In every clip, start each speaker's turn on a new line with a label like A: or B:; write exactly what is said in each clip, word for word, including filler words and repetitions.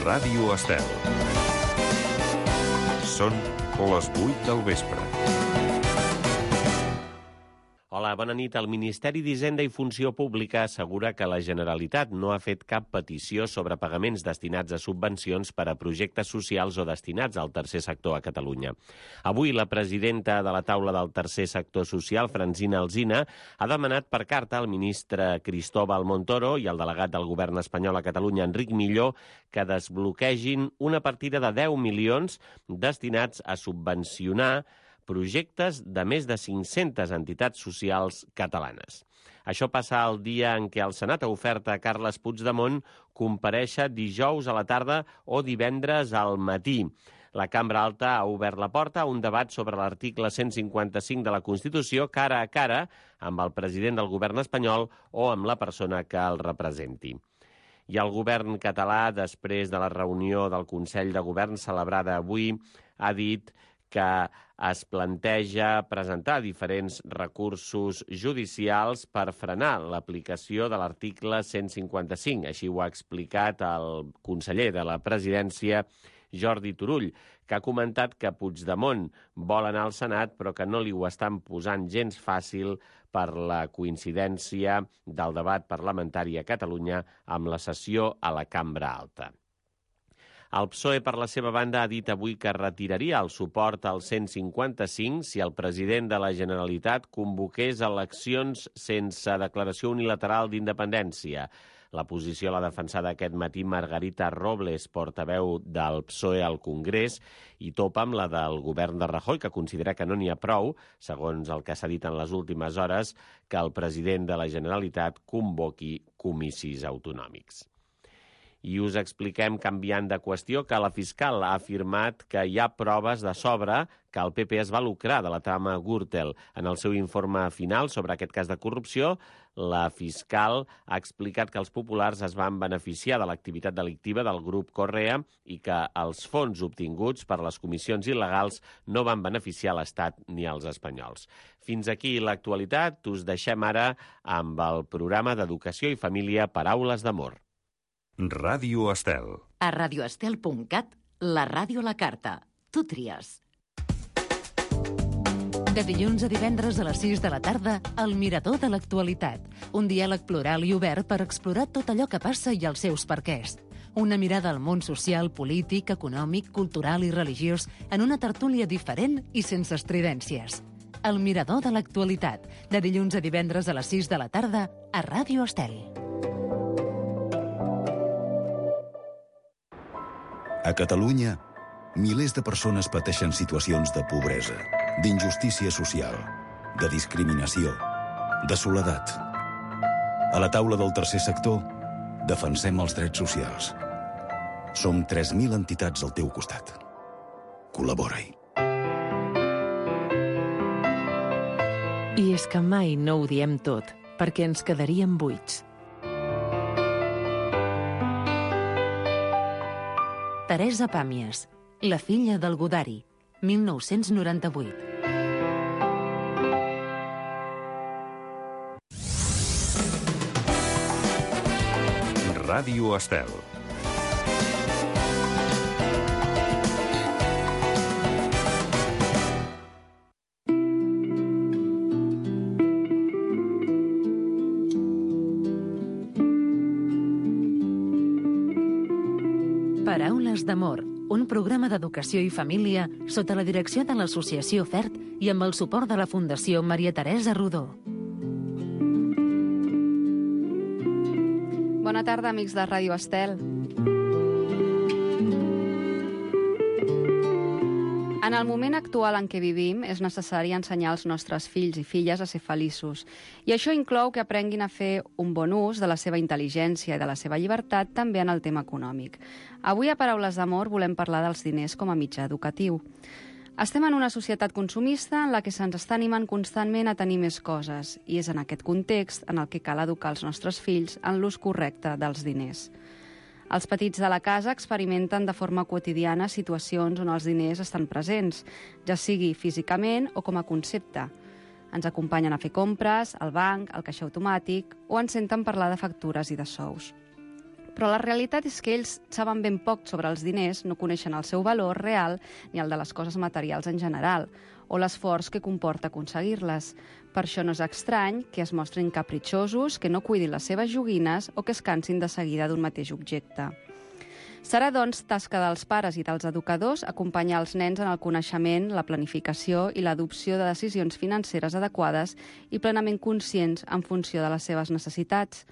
A: Ràdio Estel. Són les vuit del vespre.
B: Hola, bona nit. El Ministeri d'Hisenda i Funció Pública assegura que la Generalitat no ha fet cap petició sobre pagaments destinats a subvencions per a projectes socials o destinats al tercer sector a Catalunya. Avui, la presidenta de la taula del tercer sector social, Francina Alsina, ha demanat per carta al ministre Cristóbal Montoro i al delegat del govern espanyol a Catalunya, Enric Milló, que desbloquegin una partida de deu milions destinats a subvencionar projectes de més de cinc-centes entitats socials catalanes. Això passa el dia en què el Senat ha ofert a Carles Puigdemont comparèixer dijous a la tarda o divendres al matí. La Cambra Alta ha obert la porta a un debat sobre l'article cent cinquanta-cinc de la Constitució cara a cara amb el president del govern espanyol o amb la persona que el representi. I el govern català, després de la reunió del Consell de Govern celebrada avui, ha dit que es planteja presentar diferents recursos judicials per frenar l'aplicació de l'article cent cinquanta-cinc. Així ho ha explicat el conseller de la Presidència, Jordi Turull, que ha comentat que Puigdemont vol anar al Senat però que no li ho estan posant gens fàcil per la coincidència del debat parlamentari a Catalunya amb la sessió a la Cambra Alta. El P S O E, per la seva banda, ha dit avui que retiraria el suport al cent cinquanta-cinc si el president de la Generalitat convoqués eleccions sense declaració unilateral d'independència. La posició l'ha defensada aquest matí Margarita Robles, portaveu del P S O E al Congrés, i topa amb la del govern de Rajoy, que considera que no n'hi ha prou, segons el que s'ha dit en les últimes hores, que el president de la Generalitat convoqui comicis autonòmics. I us expliquem, canviant de qüestió, que la fiscal ha afirmat que hi ha proves de sobre que el P P es va lucrar de la trama Gürtel. En el seu informe final sobre aquest cas de corrupció, la fiscal ha explicat que els populars es van beneficiar de l'activitat delictiva del grup Correa i que els fons obtinguts per les comissions il·legals no van beneficiar l'Estat ni els espanyols. Fins aquí l'actualitat. Us deixem ara amb el programa d'Educació i Família Paraules d'Amor.
A: Ràdio Estel.
C: A radioestel punt cat, la ràdio a la carta. Tu tries. De dilluns a divendres a les sis de la tarda, El Mirador de l'Actualitat. Un diàleg plural i obert per explorar tot allò que passa i els seus perquès. Una mirada al món social, polític, econòmic, cultural i religiós en una tertúlia diferent i sense estridències. El Mirador de l'Actualitat. De dilluns a divendres a les sis de la tarda, a Ràdio Estel.
D: A Catalunya, milers de persones pateixen situacions de pobresa, d'injustícia social, de discriminació, de soledat. A la taula del tercer sector, defensem els drets socials. Som tres mil entitats al teu costat. Col·labora-hi.
E: I és que mai no ho diem tot, perquè ens quedaríem buits.
C: Teresa Pàmies, la filla del Godari, mil nou-cents noranta-vuit.
A: Ràdio Estel.
C: Paraules d'Amor, un programa d'educació i família sota la direcció de l'Associació FERT i amb el suport de la Fundació Maria Teresa Rodó.
F: Bona tarda, amics de Ràdio Estel. En el moment actual en què vivim és necessari ensenyar als nostres fills i filles a ser feliços. I això inclou que aprenguin a fer un bon ús de la seva intel·ligència i de la seva llibertat també en el tema econòmic. Avui a Paraules d'Amor volem parlar dels diners com a mitjà educatiu. Estem en una societat consumista en la que se'ns està animant constantment a tenir més coses i és en aquest context en el que cal educar els nostres fills en l'ús correcte dels diners. Els petits de la casa experimenten de forma quotidiana situacions on els diners estan presents, ja sigui físicament o com a concepte. Ens acompanyen a fer compres, al banc, al caixer automàtic o ens senten parlar de factures i de sous. Però la realitat és que ells saben ben poc sobre els diners, no coneixen el seu valor real ni el de les coses materials en general, o l'esforç que comporta aconseguir-les. Per això no és estrany que es mostrin capritxosos, que no cuidin les seves joguines o que es cansin de seguida d'un mateix objecte. Serà, doncs, tasca dels pares i dels educadors acompanyar els nens en el coneixement, la planificació i l'adopció de decisions financeres adequades i plenament conscients en funció de les seves necessitats.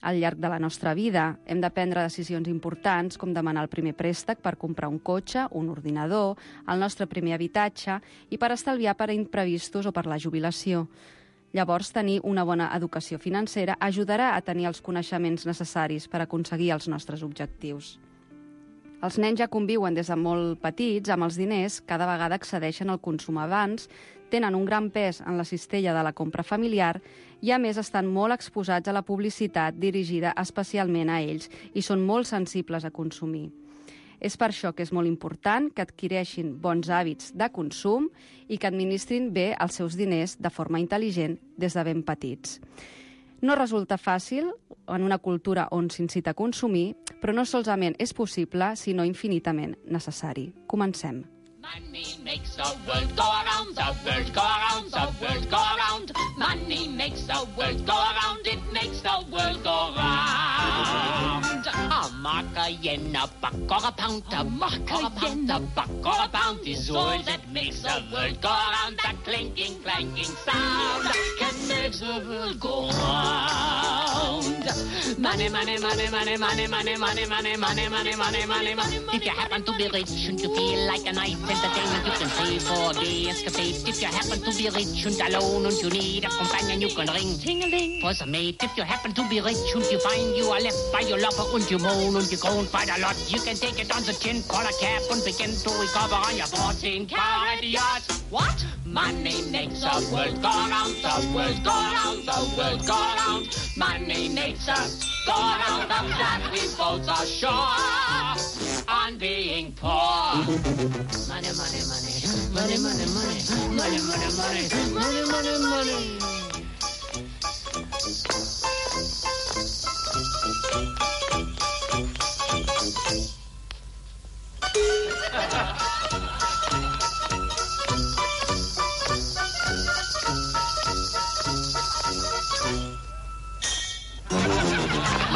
F: Al llarg de la nostra vida hem de prendre decisions importants com demanar el primer préstec per comprar un cotxe, un ordinador, el nostre primer habitatge i per estalviar per a imprevistos o per la jubilació. Llavors, tenir una bona educació financera ajudarà a tenir els coneixements necessaris per aconseguir els nostres objectius. Els nens ja conviuen des de molt petits amb els diners, cada vegada accedeixen al consum abans, tenen un gran pes en la cistella de la compra familiar i, a més, estan molt exposats a la publicitat dirigida especialment a ells i són molt sensibles a consumir. És per això que és molt important que adquireixin bons hàbits de consum i que administrin bé els seus diners de forma intel·ligent des de ben petits. No resulta fàcil en una cultura on s'incita a consumir, però no solament és possible, sinó infinitament necessari. Comencem.
G: Money makes the world go around, the world go around, the world go around. Money makes the world go around, it makes the world go round. A mark, a yen, a buck or a pound, a mark, a yen, a buck or a pound is all that makes the world go around. That clinking, clanking sound can make the world go round. Money, money, money, money, money, money, money, money, money, money, money, money, money. If you happen to be rich and you feel like a night entertainment, you can save for the escapade. If you happen to be rich and alone and you need a companion, you can ring ting-a-ling for some mate. If you happen to be rich and you find you are left by your lover and you moan and you groan quite a lot, you can take it on the chin, call a cab and begin to recover on your fourteen carat yacht. What? Money makes the world go round, the world go round, the world go round. Money makes us go round, of that we both are sure on being poor. Money, money, money, money, money, money, money, money, money, money, money, money.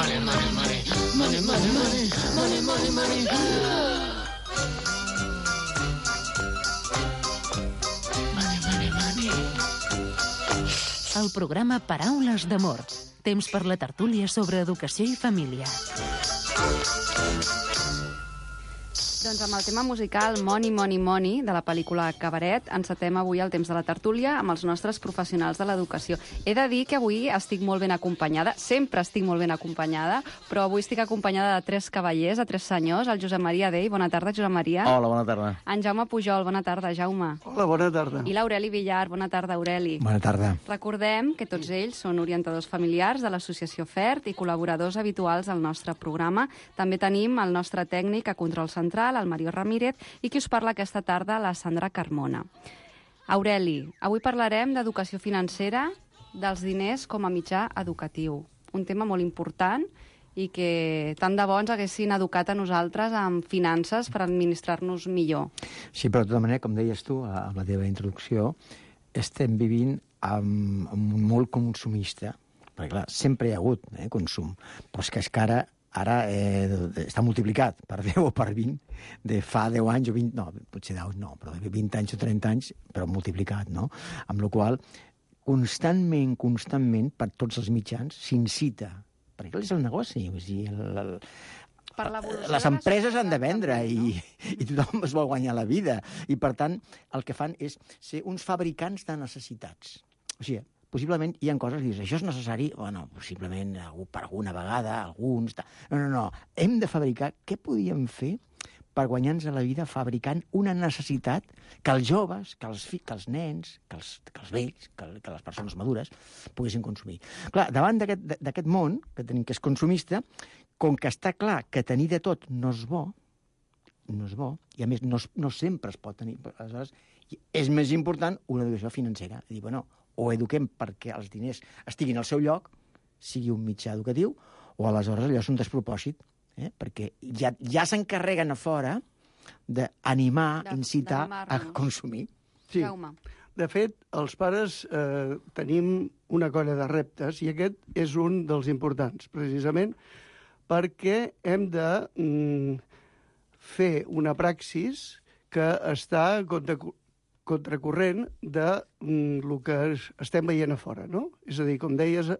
G: Money, money, money, money, money, money, money, money, money.
C: El programa Paraules d'Amor. Temps per la tertúlia sobre educació i família.
F: Doncs amb el tema musical Money, Money, Money, de la pel·lícula Cabaret, encetem avui el temps de la tertúlia amb els nostres professionals de l'educació. He de dir que avui estic molt ben acompanyada, sempre estic molt ben acompanyada, però avui estic acompanyada de tres cavallers, de tres senyors, el Josep Maria Dei. Bona tarda, Josep Maria.
H: Hola, bona tarda.
F: En Jaume Pujol. Bona tarda, Jaume.
I: Hola, bona tarda.
F: I l'Aureli Villar. Bona tarda, Aureli.
I: Bona tarda.
F: Recordem que tots ells són orientadors familiars de l'associació FERT i col·laboradors habituals al nostre programa. També tenim el nostre tècnic a Control Central, el Mario Ramírez, i qui us parla aquesta tarda, la Sandra Carmona. Aureli, avui parlarem d'educació financera, dels diners com a mitjà educatiu. Un tema molt important i que tant de bo ens haguessin educat a nosaltres amb finances per administrar-nos millor.
I: Sí, però de tota manera, com deies tu, amb la teva introducció, estem vivint amb, amb un molt consumista, perquè clar, sempre hi ha hagut eh, consum, però és que és que ara Ara eh, està multiplicat per deu o per vint, de fa deu anys o vint, no, potser deu, no, però de vint anys o trenta anys, però multiplicat, no? Amb la qual constantment, constantment, per tots els mitjans, s'incita, perquè és el negoci, o sigui, el, el,
F: per
I: les empreses han de vendre i, i tothom es vol guanyar la vida. I, per tant, el que fan és ser uns fabricants de necessitats. O sigui, possiblement hi ha coses que dius, això és necessari, bueno, possiblement per alguna vegada, alguns... No, no, no, hem de fabricar... Què podíem fer per guanyar-nos a la vida fabricant una necessitat que els joves, que els, fi, que els nens, que els, que els vells, que, que les persones madures poguessin consumir? Clar, davant d'aquest món, que tenim que és consumista, com que està clar que tenir de tot no és bo, no és bo, i a més no, no sempre es pot tenir... Aleshores, és més important una educació financera. Dir, bueno, o eduquem perquè els diners estiguin al seu lloc, sigui un mitjà educatiu, o aleshores allò és un despropòsit, eh? perquè ja, ja s'encarreguen a fora d'animar,
F: De-
I: incitar a
F: d'animar-nos.
I: consumir.
H: Sí.
F: Jaume.
H: De fet, els pares eh, tenim una colla de reptes i aquest és un dels importants, precisament perquè hem de mm, fer una praxis que està contra, contracorrent de mm, el que es, estem veient a fora, no? És a dir, com deies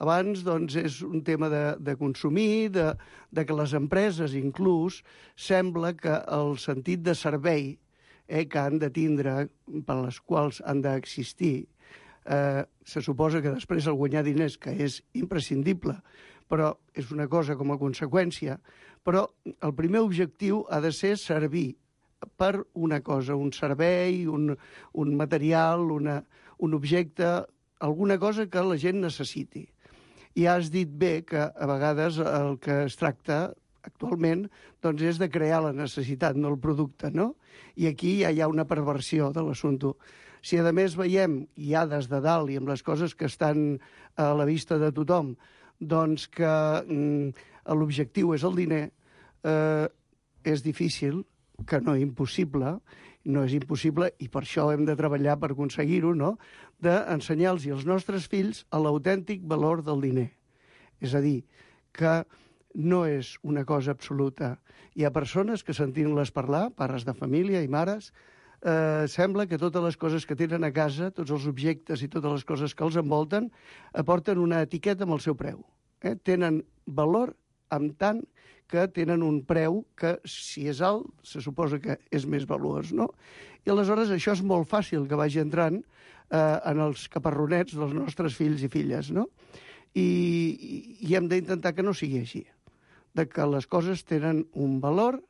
H: abans, doncs és un tema de, de consumir, de, de que les empreses inclús sembla que el sentit de servei eh, que han de tindre, per les quals han d'existir, eh, se suposa que després el guanyar diners, que és imprescindible, però és una cosa com a conseqüència, però el primer objectiu ha de ser servir per una cosa, un servei, un, un material, una, un objecte, alguna cosa que la gent necessiti. I has dit bé que a vegades el que es tracta actualment doncs és de crear la necessitat, no el producte, no? I aquí ja hi ha una perversió de l'assumpte. Si a més veiem, ja des de dalt i amb les coses que estan a la vista de tothom, doncs que mm, l'objectiu és el diner, eh, és difícil, que no impossible, no és impossible, i per això hem de treballar per aconseguir-ho, no?, d'ensenyar-los als nostres fills l'autèntic valor del diner. És a dir, que no és una cosa absoluta. Hi ha persones que sentint-les parlar, pares de família i mares, eh, sembla que totes les coses que tenen a casa, tots els objectes i totes les coses que els envolten, aporten una etiqueta amb el seu preu. Eh? Tenen valor amb tant que tenen un preu que, si és alt, se suposa que és més valuós, no? I aleshores això és molt fàcil que vagi entrant eh, en els caparronets dels nostres fills i filles, no? I, i, i hem d'intentar que no sigui així, de que les coses tenen un valor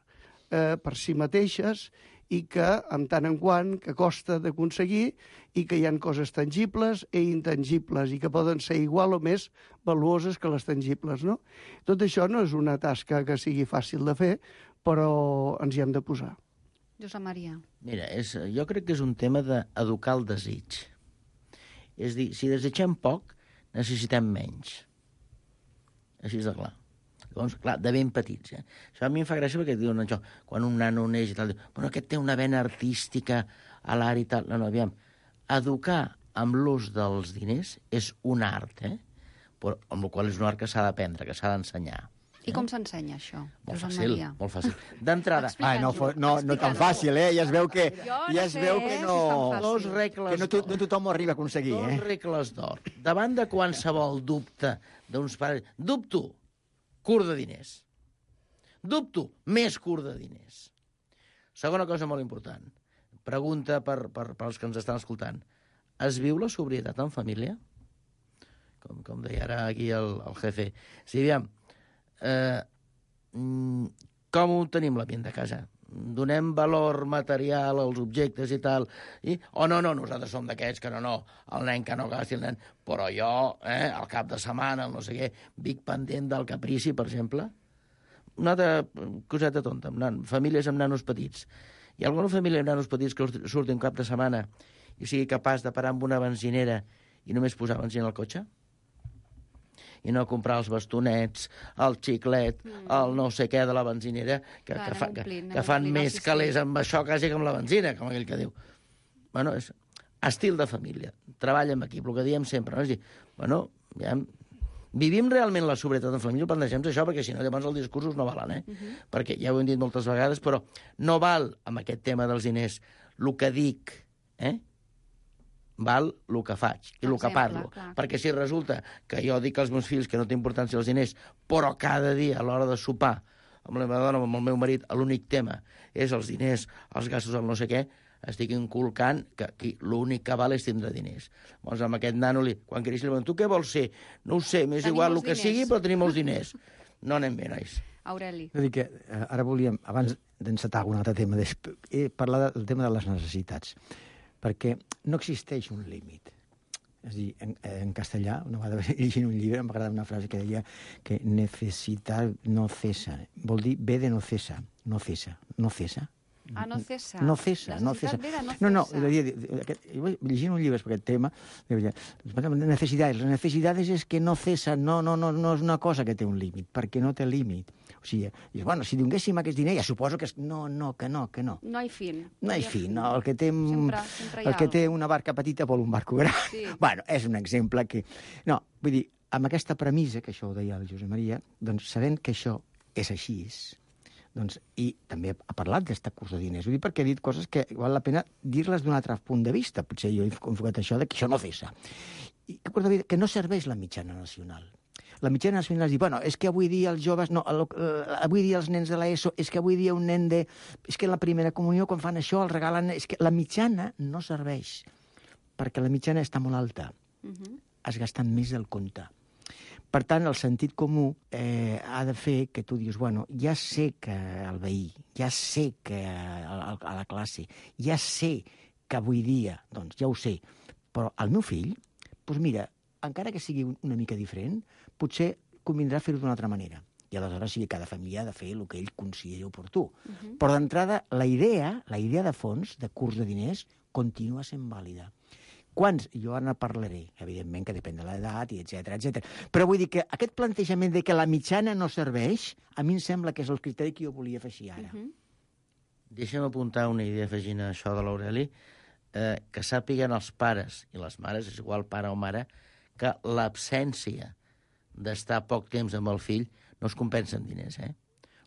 H: eh, per si mateixes i que, en tant en quant, que costa d'aconseguir i que hi ha coses tangibles i intangibles i que poden ser igual o més valuoses que les tangibles, no? Tot això no és una tasca que sigui fàcil de fer, però ens hi hem de posar.
F: Josep Maria.
J: Mira, és, jo crec que és un tema d'educar el desig. És dir, si desitgem poc, necessitem menys. Així és de clar. Llavors, clar, de ben petits, eh? Això a mi em fa gràcia perquè diuen això, quan un nano neix i tal, diu, bueno, aquest té una vena artística a l'art i tal. No, no, aviam, educar amb l'ús dels diners és un art, eh? Però, amb el qual és un art que s'ha d'aprendre, que s'ha d'ensenyar.
F: I com s'ensenya això,
J: Molt
F: Josep
J: fàcil,
F: Maria?
J: molt fàcil. D'entrada...
I: Ai, no, fo- no, no tan fàcil, eh? Ja es veu que,
F: Jo no
I: ja es
F: sé
I: veu que
F: si
I: no,
F: és tan fàcil.
J: Dos regles
I: que no, to,
J: d'or.
I: no tothom ho arriba a aconseguir,
J: Dos
I: eh?
J: regles d'or. Davant de qualsevol dubte d'uns pares... Dubto, curt de diners. Dubto, més curt de diners. Segona cosa molt important. Pregunta per, per, per als que ens estan escoltant. Es viu la sobrietat en família? Com, com deia ara aquí el, el jefe. Sí, aviam, eh, mm, com ho tenim l'ambient de casa? Donem valor material als objectes i tal, i, o oh, no, no, nosaltres som d'aquests que no, no, el nen que no gasti el nen, però jo, eh, al cap de setmana, el no sé què, vic pendent del caprici, per exemple. Una altra coseta tonta, amb nan, famílies amb nanos petits. Hi ha alguna família amb nanos petits que surti un cap de setmana i sigui capaç de parar amb una benzinera i només posar benzina al cotxe? I no comprar els bastonets, el xiclet, mm. el no sé què de la benzinera, que,
F: Clar,
J: que, fa,
F: anem omplint,
J: que,
F: anem
J: que fan
F: omplint el
J: més
F: sistema.
J: calés amb això quasi que amb la benzina, com aquell que diu. Bueno, és estil de família, treball en equip, el que diem sempre, no? És dir, bueno, ja, vivim realment la sobrietat en família, plantegem això, perquè si no, llavors els discursos no valen, eh? Uh -huh. Perquè ja ho hem dit moltes vegades, però no val, amb aquest tema dels diners, el que dic, eh? Val el que faig i el que parlo.
F: Clar.
J: Perquè si resulta que jo dic als meus fills que no té importància els diners, però cada dia a l'hora de sopar amb la meva dona o amb el meu marit l'únic tema és els diners, els gastos, el no sé què, estic inculcant que aquí l'únic que val és tindre diners. Llavors, amb aquest nano, li, quan creixi, li diuen, tu què vols ser? No ho sé, m'és
F: Tenim
J: igual
F: els
J: el que
F: diners.
J: sigui, però tenim els diners. No anem bé, nois.
F: Aureli.
I: És a dir que eh, ara volíem, abans d'encetar un altre tema, eh, parlar del tema de les necessitats, perquè no existeix un límit. És a dir, en, en castellà, una vegada llegint un llibre, em va agradar una frase que deia que necessitar no cesa. Vol dir ve de no cesa, no cesa, no cesa.
F: Ah, no cessa.
I: No cessa, no cessa. No, no, llegint un llibre sobre aquest tema, necessitats. Les necessitats és que no cessa, no, no, no, no és una cosa que té un límit, perquè no té límit. O sigui, bueno, si donéssim aquest diner, ja suposo que... És... No, no, que no, que no.
F: No hi fin.
I: No hi fin, no. El que té,
F: sempre, sempre
I: el que té una barca petita vol un barco gran.
F: Sí.
I: Bueno, és un exemple que... No, vull dir, amb aquesta premissa, que això ho deia el Josep Maria, doncs sabent que això és així, doncs, i també ha parlat d'aquest curs de diners. Vull dir, perquè ha dit coses que val la pena dir-les d'un altre punt de vista. Potser jo he enfocat això de que això no cessa. I que no serveix la mitjana nacional. La mitjana nacional és dir, bueno, és que avui dia els joves, no, avui dia els nens de l'ESO, és que avui dia un nen de... És que en la primera comunió, quan fan això, el regalen... És que la mitjana no serveix, perquè la mitjana està molt alta. Uh-huh. Has gastat més del compte. Per tant, el sentit comú eh, ha de fer que tu dius, bueno, ja sé que el veí, ja sé que a, a la classe, ja sé que avui dia, doncs ja ho sé, però el meu fill, doncs mira, encara que sigui una mica diferent, potser convindrà fer-ho d'una altra manera. I aleshores sí que cada família ha de fer el que ell consideri oportú. Uh-huh. Però d'entrada, la idea, la idea de fons, de curs de diners, continua sent vàlida. Quants? Jo ara parlaré, evidentment que depèn de l'edat, i etcètera, etcètera. Però vull dir que aquest plantejament de que la mitjana no serveix, a mi em sembla que és el criteri que jo volia afegir ara. Uh-huh.
J: Deixa'm apuntar una idea afegint a això de l'Aureli, eh, que sàpiguen els pares i les mares, és igual pare o mare, que l'absència d'estar poc temps amb el fill no es compensa en diners, eh?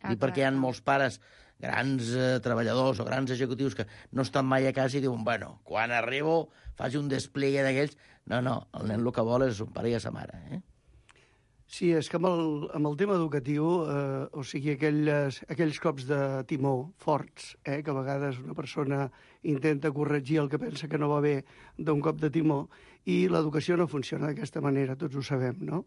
J: Ah, Dic perquè hi ha molts pares, grans eh, treballadors o grans executius que no estan mai a casa i diuen, bueno, quan arribo faig un despliegue d'aquells. No, no, el nen el que vol és un pare i a sa mare, eh?
H: Sí, és que amb el, amb el tema educatiu, eh, o sigui, aquelles, aquells cops de timó forts, eh, que a vegades una persona intenta corregir el que pensa que no va bé d'un cop de timó, i l'educació no funciona d'aquesta manera, tots ho sabem, no?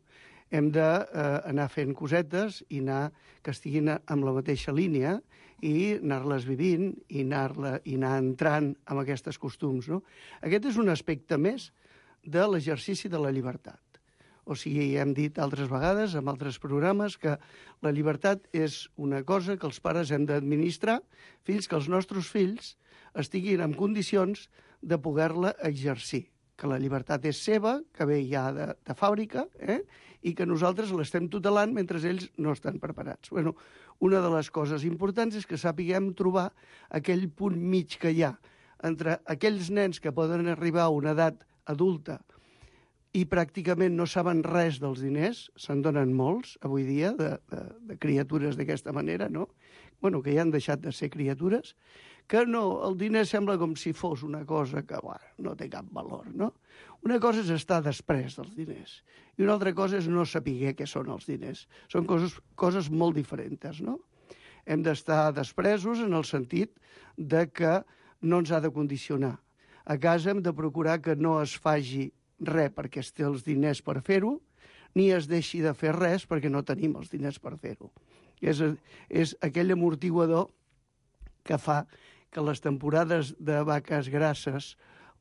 H: Hem d'anar eh, fent cosetes i anar que estiguin amb la mateixa línia i anar-les vivint i anar, i anar entrant amb aquests costums, no? Aquest és un aspecte més de l'exercici de la llibertat. O sigui, hem dit altres vegades, en altres programes, que la llibertat és una cosa que els pares hem d'administrar fins que els nostres fills estiguin en condicions de poder-la exercir. Que la llibertat és seva, que ve ja de, de fàbrica, eh? I que nosaltres l'estem tutelant mentre ells no estan preparats. Bueno, una de les coses importants és que sàpiguem trobar aquell punt mig que hi ha entre aquells nens que poden arribar a una edat adulta i pràcticament no saben res dels diners, se'n donen molts avui dia, de, de, de criatures d'aquesta manera, no? Bueno, que ja han deixat de ser criatures, que no, el diner sembla com si fos una cosa que, bueno, no té cap valor, no? Una cosa és estar després dels diners i una altra cosa és no saber què són els diners. Són coses, coses molt diferents, no? Hem d'estar despresos en el sentit de que no ens ha de condicionar. A casa hem de procurar que no es faci res perquè es té els diners per fer-ho, ni es deixi de fer res perquè no tenim els diners per fer-ho. És, és aquell amortiguador que fa que les temporades de vaques grasses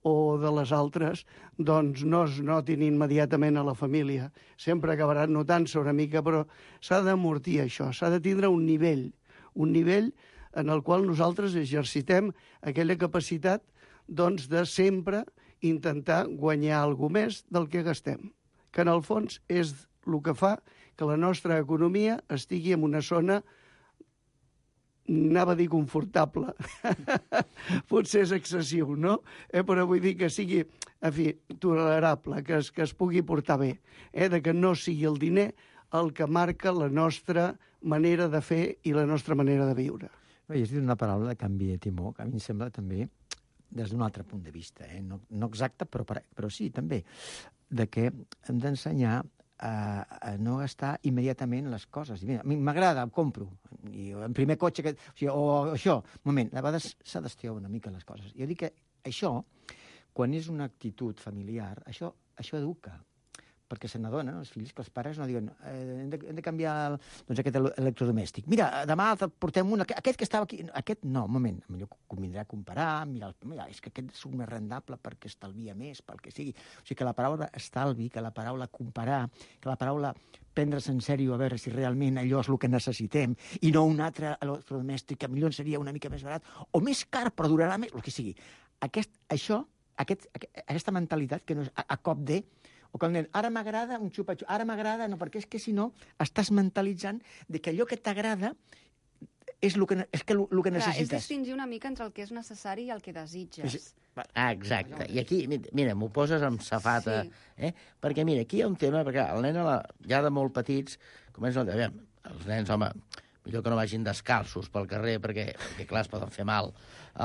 H: o de les altres doncs no es notin immediatament a la família. Sempre acabaran notant-se una mica, però s'ha d'amortir això, s'ha de tindre un nivell, un nivell en el qual nosaltres exercitem aquella capacitat doncs, de sempre intentar guanyar alguna més del que gastem, que en el fons és el que fa que la nostra economia estigui en una zona, anava a dir confortable, potser és excessiu, no? Eh, però vull dir que sigui, en fi, tolerable, que es, que es pugui portar bé, eh, de que no sigui el diner el que marca la nostra manera de fer i la nostra manera de viure.
I: No, i has dit una paraula de canvi de timó, que a mi em sembla també des d'un altre punt de vista, eh? no, no exacte, però, però sí, també, de que hem d'ensenyar a, a no gastar immediatament les coses. Mira, a mi m'agrada, em compro, i en primer cotxe, que, o, sigui, o això, un moment, a vegades s'ha d'estirar una mica les coses. Jo dic que això, quan és una actitud familiar, això, això educa, perquè se n'adonen els fills que els pares no diuen eh, hem, de, hem de canviar el, doncs aquest electrodomèstic. Mira, demà portem un, aquest que estava aquí, aquest no, un moment, millor convindrà comparar, mirar, mira, és que aquest és més rendable perquè estalvia més, pel que sigui. O sigui que la paraula estalvi, que la paraula comparar, que la paraula prendre's en sèrio a veure si realment allò és el que necessitem i no un altre electrodomèstic que millor seria una mica més barat o més car però durarà més, el que sigui. Aquest, això, aquest, aquesta mentalitat que no és a, a cop de o quan nen, ara m'agrada un xupa-xupa, ara m'agrada, no, perquè és que si no estàs mentalitzant de que allò que t'agrada és el que, és que, el, el que necessites.
F: Clar, és distingir una mica entre el que és necessari i el que desitges.
J: Sí. Ah, exacte. I aquí, mira, m'ho poses amb safata. Sí. Eh? Perquè, mira, aquí hi ha un tema, perquè el nen, la, ja de molt petits, comencen a dir, els nens, home, millor que no vagin descalços pel carrer, perquè, perquè clar, es poden fer mal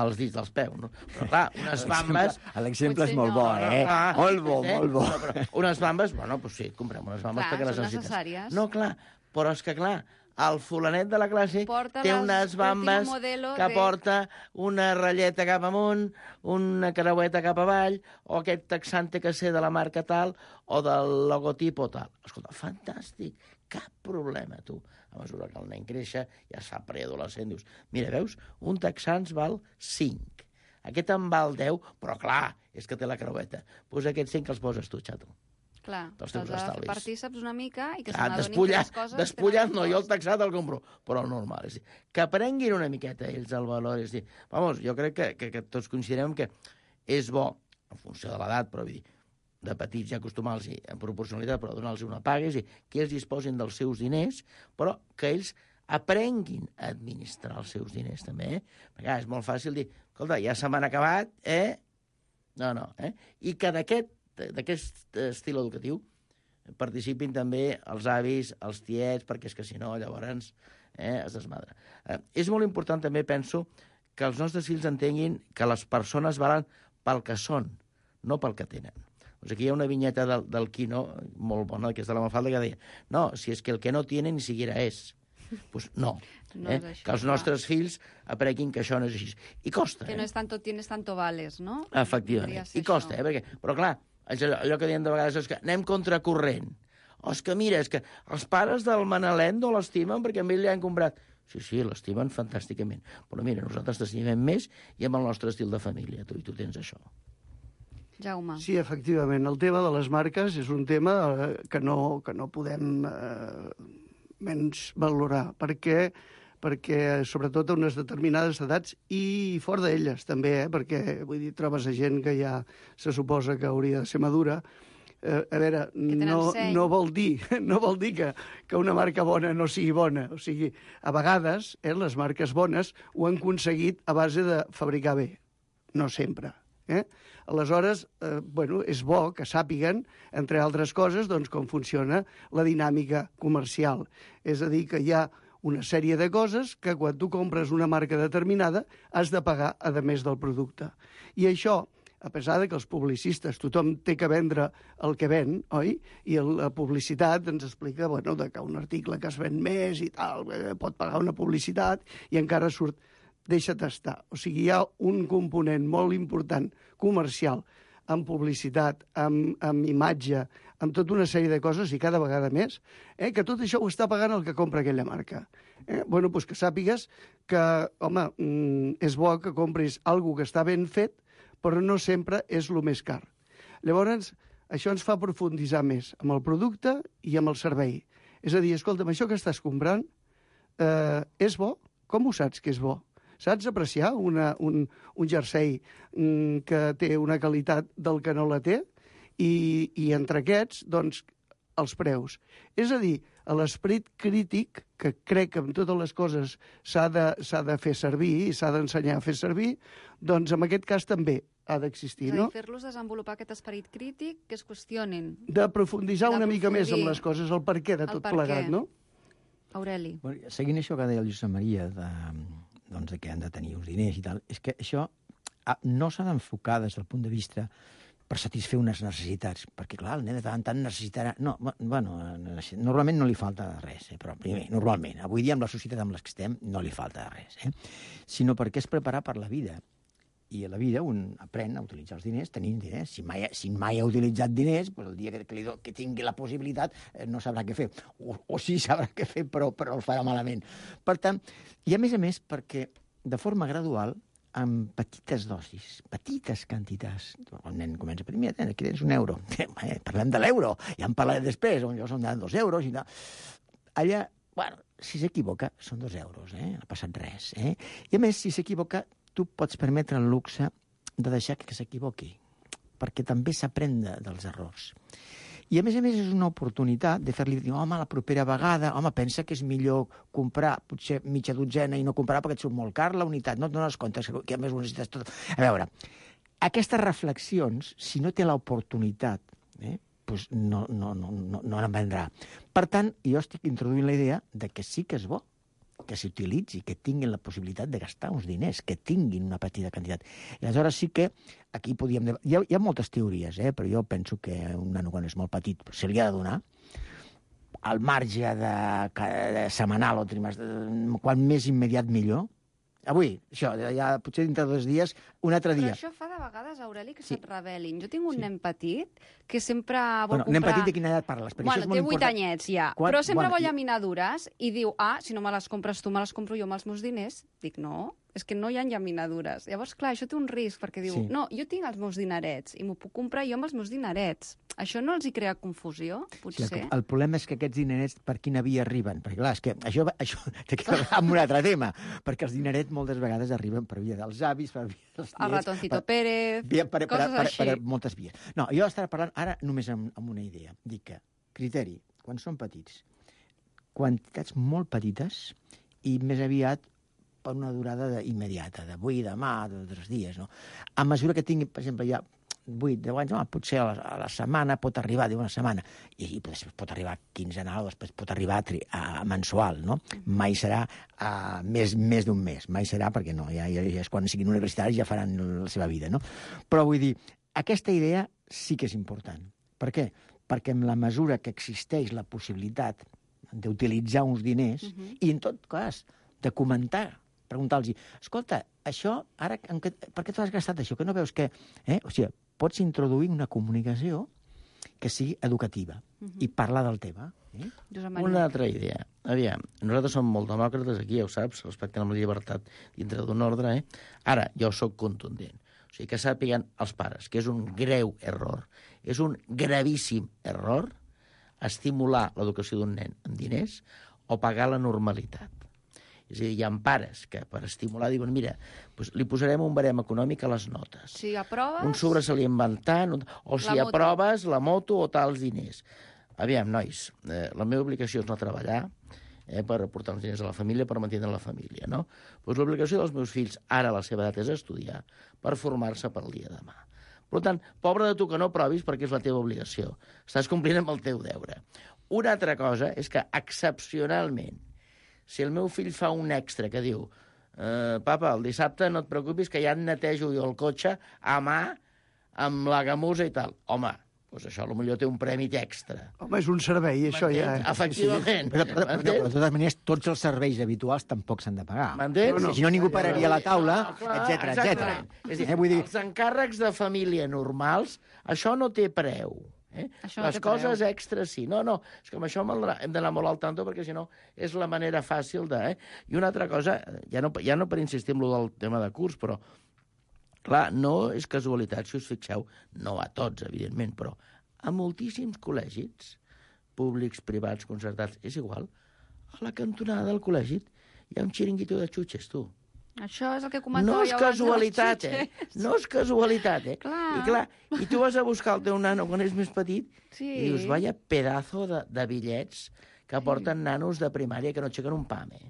J: als dits dels peus, no? Però, clar, unes bambes...
I: L'exemple és molt bo, eh? Ah, molt bo, eh? molt bo.
J: No, però unes bambes, bueno, doncs sí, comprem unes bambes
F: clar,
J: perquè les necessites.
F: necessàries.
J: No, clar, però és que, clar, el fulanet de la classe
F: porta
J: té unes bambes que
F: de...
J: porta una ratlleta cap amunt, una creueta cap avall, o aquest texante que sé de la marca tal, o del logotip o tal. Escolta, fantàstic, cap problema, tu. A mesura que el nen créixer, ja es fa preadolescent, dius, mira, veus, un texans val cinc. Aquest en val deu, però clar, és que té la creueta. Doncs aquests cinc els poses tu, xato.
F: Clar,
J: dels teus
F: has de fer
J: estalvis.
F: partíceps una mica i que
J: Ah,
F: se n'adonin que
J: despullat,
F: les coses...
J: despullat no, jo el taxat el compro, però el normal. És dir, que aprenguin una miqueta ells el valor. És dir, vamos, jo crec que, que, que tots considerem que és bo, en funció de l'edat, però vull dir, de petits ja acostumar-los en proporcionalitat, però donar-los una paga, és dir, que ells disposin dels seus diners, però que ells aprenguin a administrar els seus diners, també, eh? Perquè ah, és molt fàcil dir, escolta, ja se m'han acabat, eh? No, no, eh? I que d'aquest d'aquest estil educatiu participin també els avis, els tiets, perquè és que si no, llavors eh, es desmadra. Eh, és molt important també, penso, que els nostres fills entenguin que les persones valen pel que són, no pel que tenen. Doncs aquí hi ha una vinyeta del, del Quino, molt bona, que és de la Mafalda, que deia, no, si és que el que no tiene ni siquiera és. Doncs pues no,
F: no
J: eh?
F: això,
J: que els nostres clar. fills aprenguin que això no és així. I costa,
F: que
J: eh?
F: no és tanto tienes, tanto vales, no?
J: Efectivament, i costa, eh? Perquè, però clar, allò, allò que diem de vegades és que anem contracorrent. O és que mira, és que els pares del Manalent no l'estimen perquè a ell li han comprat. Sí, sí, l'estimen fantàsticament. Però mira, nosaltres t'estimem més i amb el nostre estil de família, tu, i tu tens això.
F: Jaume.
H: Sí, efectivament. El tema de les marques és un tema eh, que, no, que no podem eh, menys valorar, perquè, perquè sobretot a unes determinades edats i fora d'elles també, eh, perquè vull dir, trobes a gent que ja se suposa que hauria de ser madura. Eh, a veure, no, no vol dir, no vol dir que, que una marca bona no sigui bona. O sigui, a vegades eh, les marques bones ho han aconseguit a base de fabricar bé. No sempre. Eh? Aleshores, eh, bueno, és bo que sàpiguen, entre altres coses, doncs, com funciona la dinàmica comercial. És a dir, que hi ha una sèrie de coses que quan tu compres una marca determinada has de pagar a més del producte. I això, a pesar de que els publicistes, tothom té que vendre el que ven, oi? I la publicitat ens explica bueno, que un article que es ven més i tal, pot pagar una publicitat i encara surt, deixa't estar. O sigui, hi ha un component molt important comercial amb publicitat, amb, amb imatge, amb tota una sèrie de coses i cada vegada més, eh, que tot això ho està pagant el que compra aquella marca. Eh? Bueno, doncs que sàpigues que, home, mm, és bo que compris alguna que està ben fet, però no sempre és el més car. Llavors, això ens fa profunditzar més amb el producte i amb el servei. És a dir, escolta'm, això que estàs comprant eh, és bo? Com ho saps que és bo? Saps apreciar una, un, un jersei mm, que té una qualitat del que no la té? I, i entre aquests, doncs, els preus. És a dir, a l'esperit crític, que crec que amb totes les coses s'ha de, s'ha de fer servir i s'ha d'ensenyar a fer servir, doncs en aquest cas també ha d'existir, no?
F: És a dir, fer-los desenvolupar aquest esperit crític, que es qüestionen.
H: De profunditzar una mica més amb les coses, el per què de tot plegat, no?
F: Aureli.
I: Bueno, seguint això que deia el Josep Maria, de, doncs, de que han de tenir uns diners i tal, és que això no s'ha d'enfocar des del punt de vista per satisfer unes necessitats, perquè, clar, el nen de tant en tant necessitarà... No, bueno, normalment no li falta res, eh? Però primer, normalment, avui dia amb la societat amb la que estem no li falta res, eh? Sinó perquè és preparar per la vida. I a la vida un aprèn a utilitzar els diners tenint diners. Si mai, si mai ha utilitzat diners, doncs el dia que, que, li do, que tingui la possibilitat eh, no sabrà què fer. O, o sí sabrà què fer, però, però el farà malament. Per tant, i a més a més, perquè de forma gradual, amb petites dosis, petites quantitats. El nen comença a dir, mira, aquí tens un euro. Eh, parlem de l'euro, ja en parlaré després, on jo són de dos euros i tal. Allà, bueno, si s'equivoca, són dos euros, eh? No ha passat res. Eh? I a més, si s'equivoca, tu pots permetre el luxe de deixar que s'equivoqui, perquè també s'aprèn de, dels errors. I a més a més és una oportunitat de fer-li dir, home, la propera vegada, home, pensa que és millor comprar potser mitja dotzena i no comprar perquè et surt molt car la unitat, no et dones compte que a més ho necessites tot. A veure, aquestes reflexions, si no té l'oportunitat, eh, doncs no, no, no, no, no en vendrà. Per tant, jo estic introduint la idea de que sí que és bo que s'utilitzi, que tinguin la possibilitat de gastar uns diners, que tinguin una petita quantitat. I aleshores sí que aquí podíem... Hi ha, hi ha moltes teories, eh? Però jo penso que un nano quan és molt petit se li ha de donar al marge de, de setmanal o trimestral, quan més immediat millor. Avui, això, ja potser dintre de dos dies, un altre dia.
F: Però això fa de vegades, Aureli, que
I: Sí.
F: se't rebel·lin. Jo tinc un
I: Sí.
F: nen petit que sempre vol
I: Bueno,
F: comprar...
I: nen petit de quina edat parles? Perquè
F: Bueno,
I: això és molt
F: té vuit
I: important.
F: anyets ja,
I: Quan-
F: però sempre
I: bueno,
F: vol
I: i-
F: llaminadures i diu, ah, si no me les compres tu, me les compro jo amb els meus diners. Dic, no, és que no hi ha llaminadures. Llavors, clar, això té un risc, perquè diu,
I: Sí.
F: no, jo tinc els meus dinerets i m'ho puc comprar jo amb els meus dinerets. Això no els hi crea confusió,
I: Sí,
F: potser?
I: el, el problema és que aquests dinerets per quina via arriben? Perquè, clar, és que això, això té que veure amb un altre tema, perquè els dinerets moltes vegades arriben per via dels avis, per via dels
F: El
I: tiets,
F: ratoncito
I: per,
F: Pérez,
I: via, per, per,
F: coses
I: per, per,
F: així.
I: per moltes vies. No, jo estava parlant ara només amb, amb una idea. Dic que, criteri, quan són petits, quantitats molt petites i més aviat per una durada de, immediata, d'avui, demà, de tres dies, no? A mesura que tingui, per exemple, ja vuit, deu anys, home, potser a la, a la setmana pot arribar, diu una setmana, i, i després pot arribar quinzenal, o després pot arribar a, tri, a mensual, no? Mai serà a més, més d'un mes, mai serà, perquè no, ja, ja, ja és quan siguin universitaris ja faran la seva vida, no? Però vull dir, aquesta idea sí que és important. Per què? Perquè en la mesura que existeix la possibilitat d'utilitzar uns diners, uh -huh. i en tot cas, de comentar, preguntar-los, escolta, això, ara, en què, per què t'ho has gastat això? Que no veus que... Eh? O sigui, pots introduir una comunicació que sigui educativa uh -huh. i parlar del tema. Eh?
J: Una altra idea. Aviam, nosaltres som molt demòcrates aquí, ja ho saps, respectant la llibertat dintre d'un ordre, eh? Ara, jo sóc contundent. O sigui, que sàpiguen els pares que és un greu error, és un gravíssim error estimular l'educació d'un nen amb diners o pagar la normalitat. És a dir, hi ha pares que per estimular diuen, mira, doncs li posarem un barem econòmic a les notes.
F: Si aproves...
J: Un sobresalient tant, o si
F: La moto.
J: aproves la moto o tals diners. Aviam, nois, eh, la meva obligació és no treballar eh, per aportar uns diners a la família, per mantenir la família, no? Doncs l'obligació dels meus fills, ara a la seva edat, és estudiar per formar-se per al dia de demà. Per tant, pobre de tu que no provis perquè és la teva obligació. Estàs complint amb el teu deure. Una altra cosa és que, excepcionalment, si el meu fill fa un extra que diu eh, papa, el dissabte no et preocupis que ja et netejo jo el cotxe a mà amb la gamusa i tal. Home, doncs això potser té un premi extra.
H: Home, és un servei, això ja...
J: M'entens? Efectivament.
I: Però, però, però, però, de totes maneres, tots els serveis habituals tampoc s'han de pagar.
J: M'entens?
I: No, no. Si no, ningú pararia a la taula,
J: No, clar,
I: etcètera, etcètera.
J: exactament. És a dir,
I: Eh, vull dir,
J: els encàrrecs de família normals, això no té preu. Eh?
F: Això no
J: Les
F: té
J: coses
F: preu.
J: extres sí. No, no, és que amb això hem d'anar molt al tanto perquè si no és la manera fàcil de... Eh? I una altra cosa, ja no, ja no per insistir en lo del tema de curs, però clar, no és casualitat, si us fixeu, no a tots, evidentment, però a moltíssims col·legis, públics, privats, concertats, és igual, a la cantonada del col·legi hi ha un xiringuito de xutxes, tu.
F: Això és el que comentàveu
J: No és
F: abans de les
J: casualitat, eh?
F: xutxes.
J: No és casualitat, eh?
F: Clar.
J: I clar, i tu vas a buscar el teu nano quan és més petit
F: Sí.
J: i dius, vaya pedazo de, de bitllets que porten nanos de primària que no aixequen un pam, eh?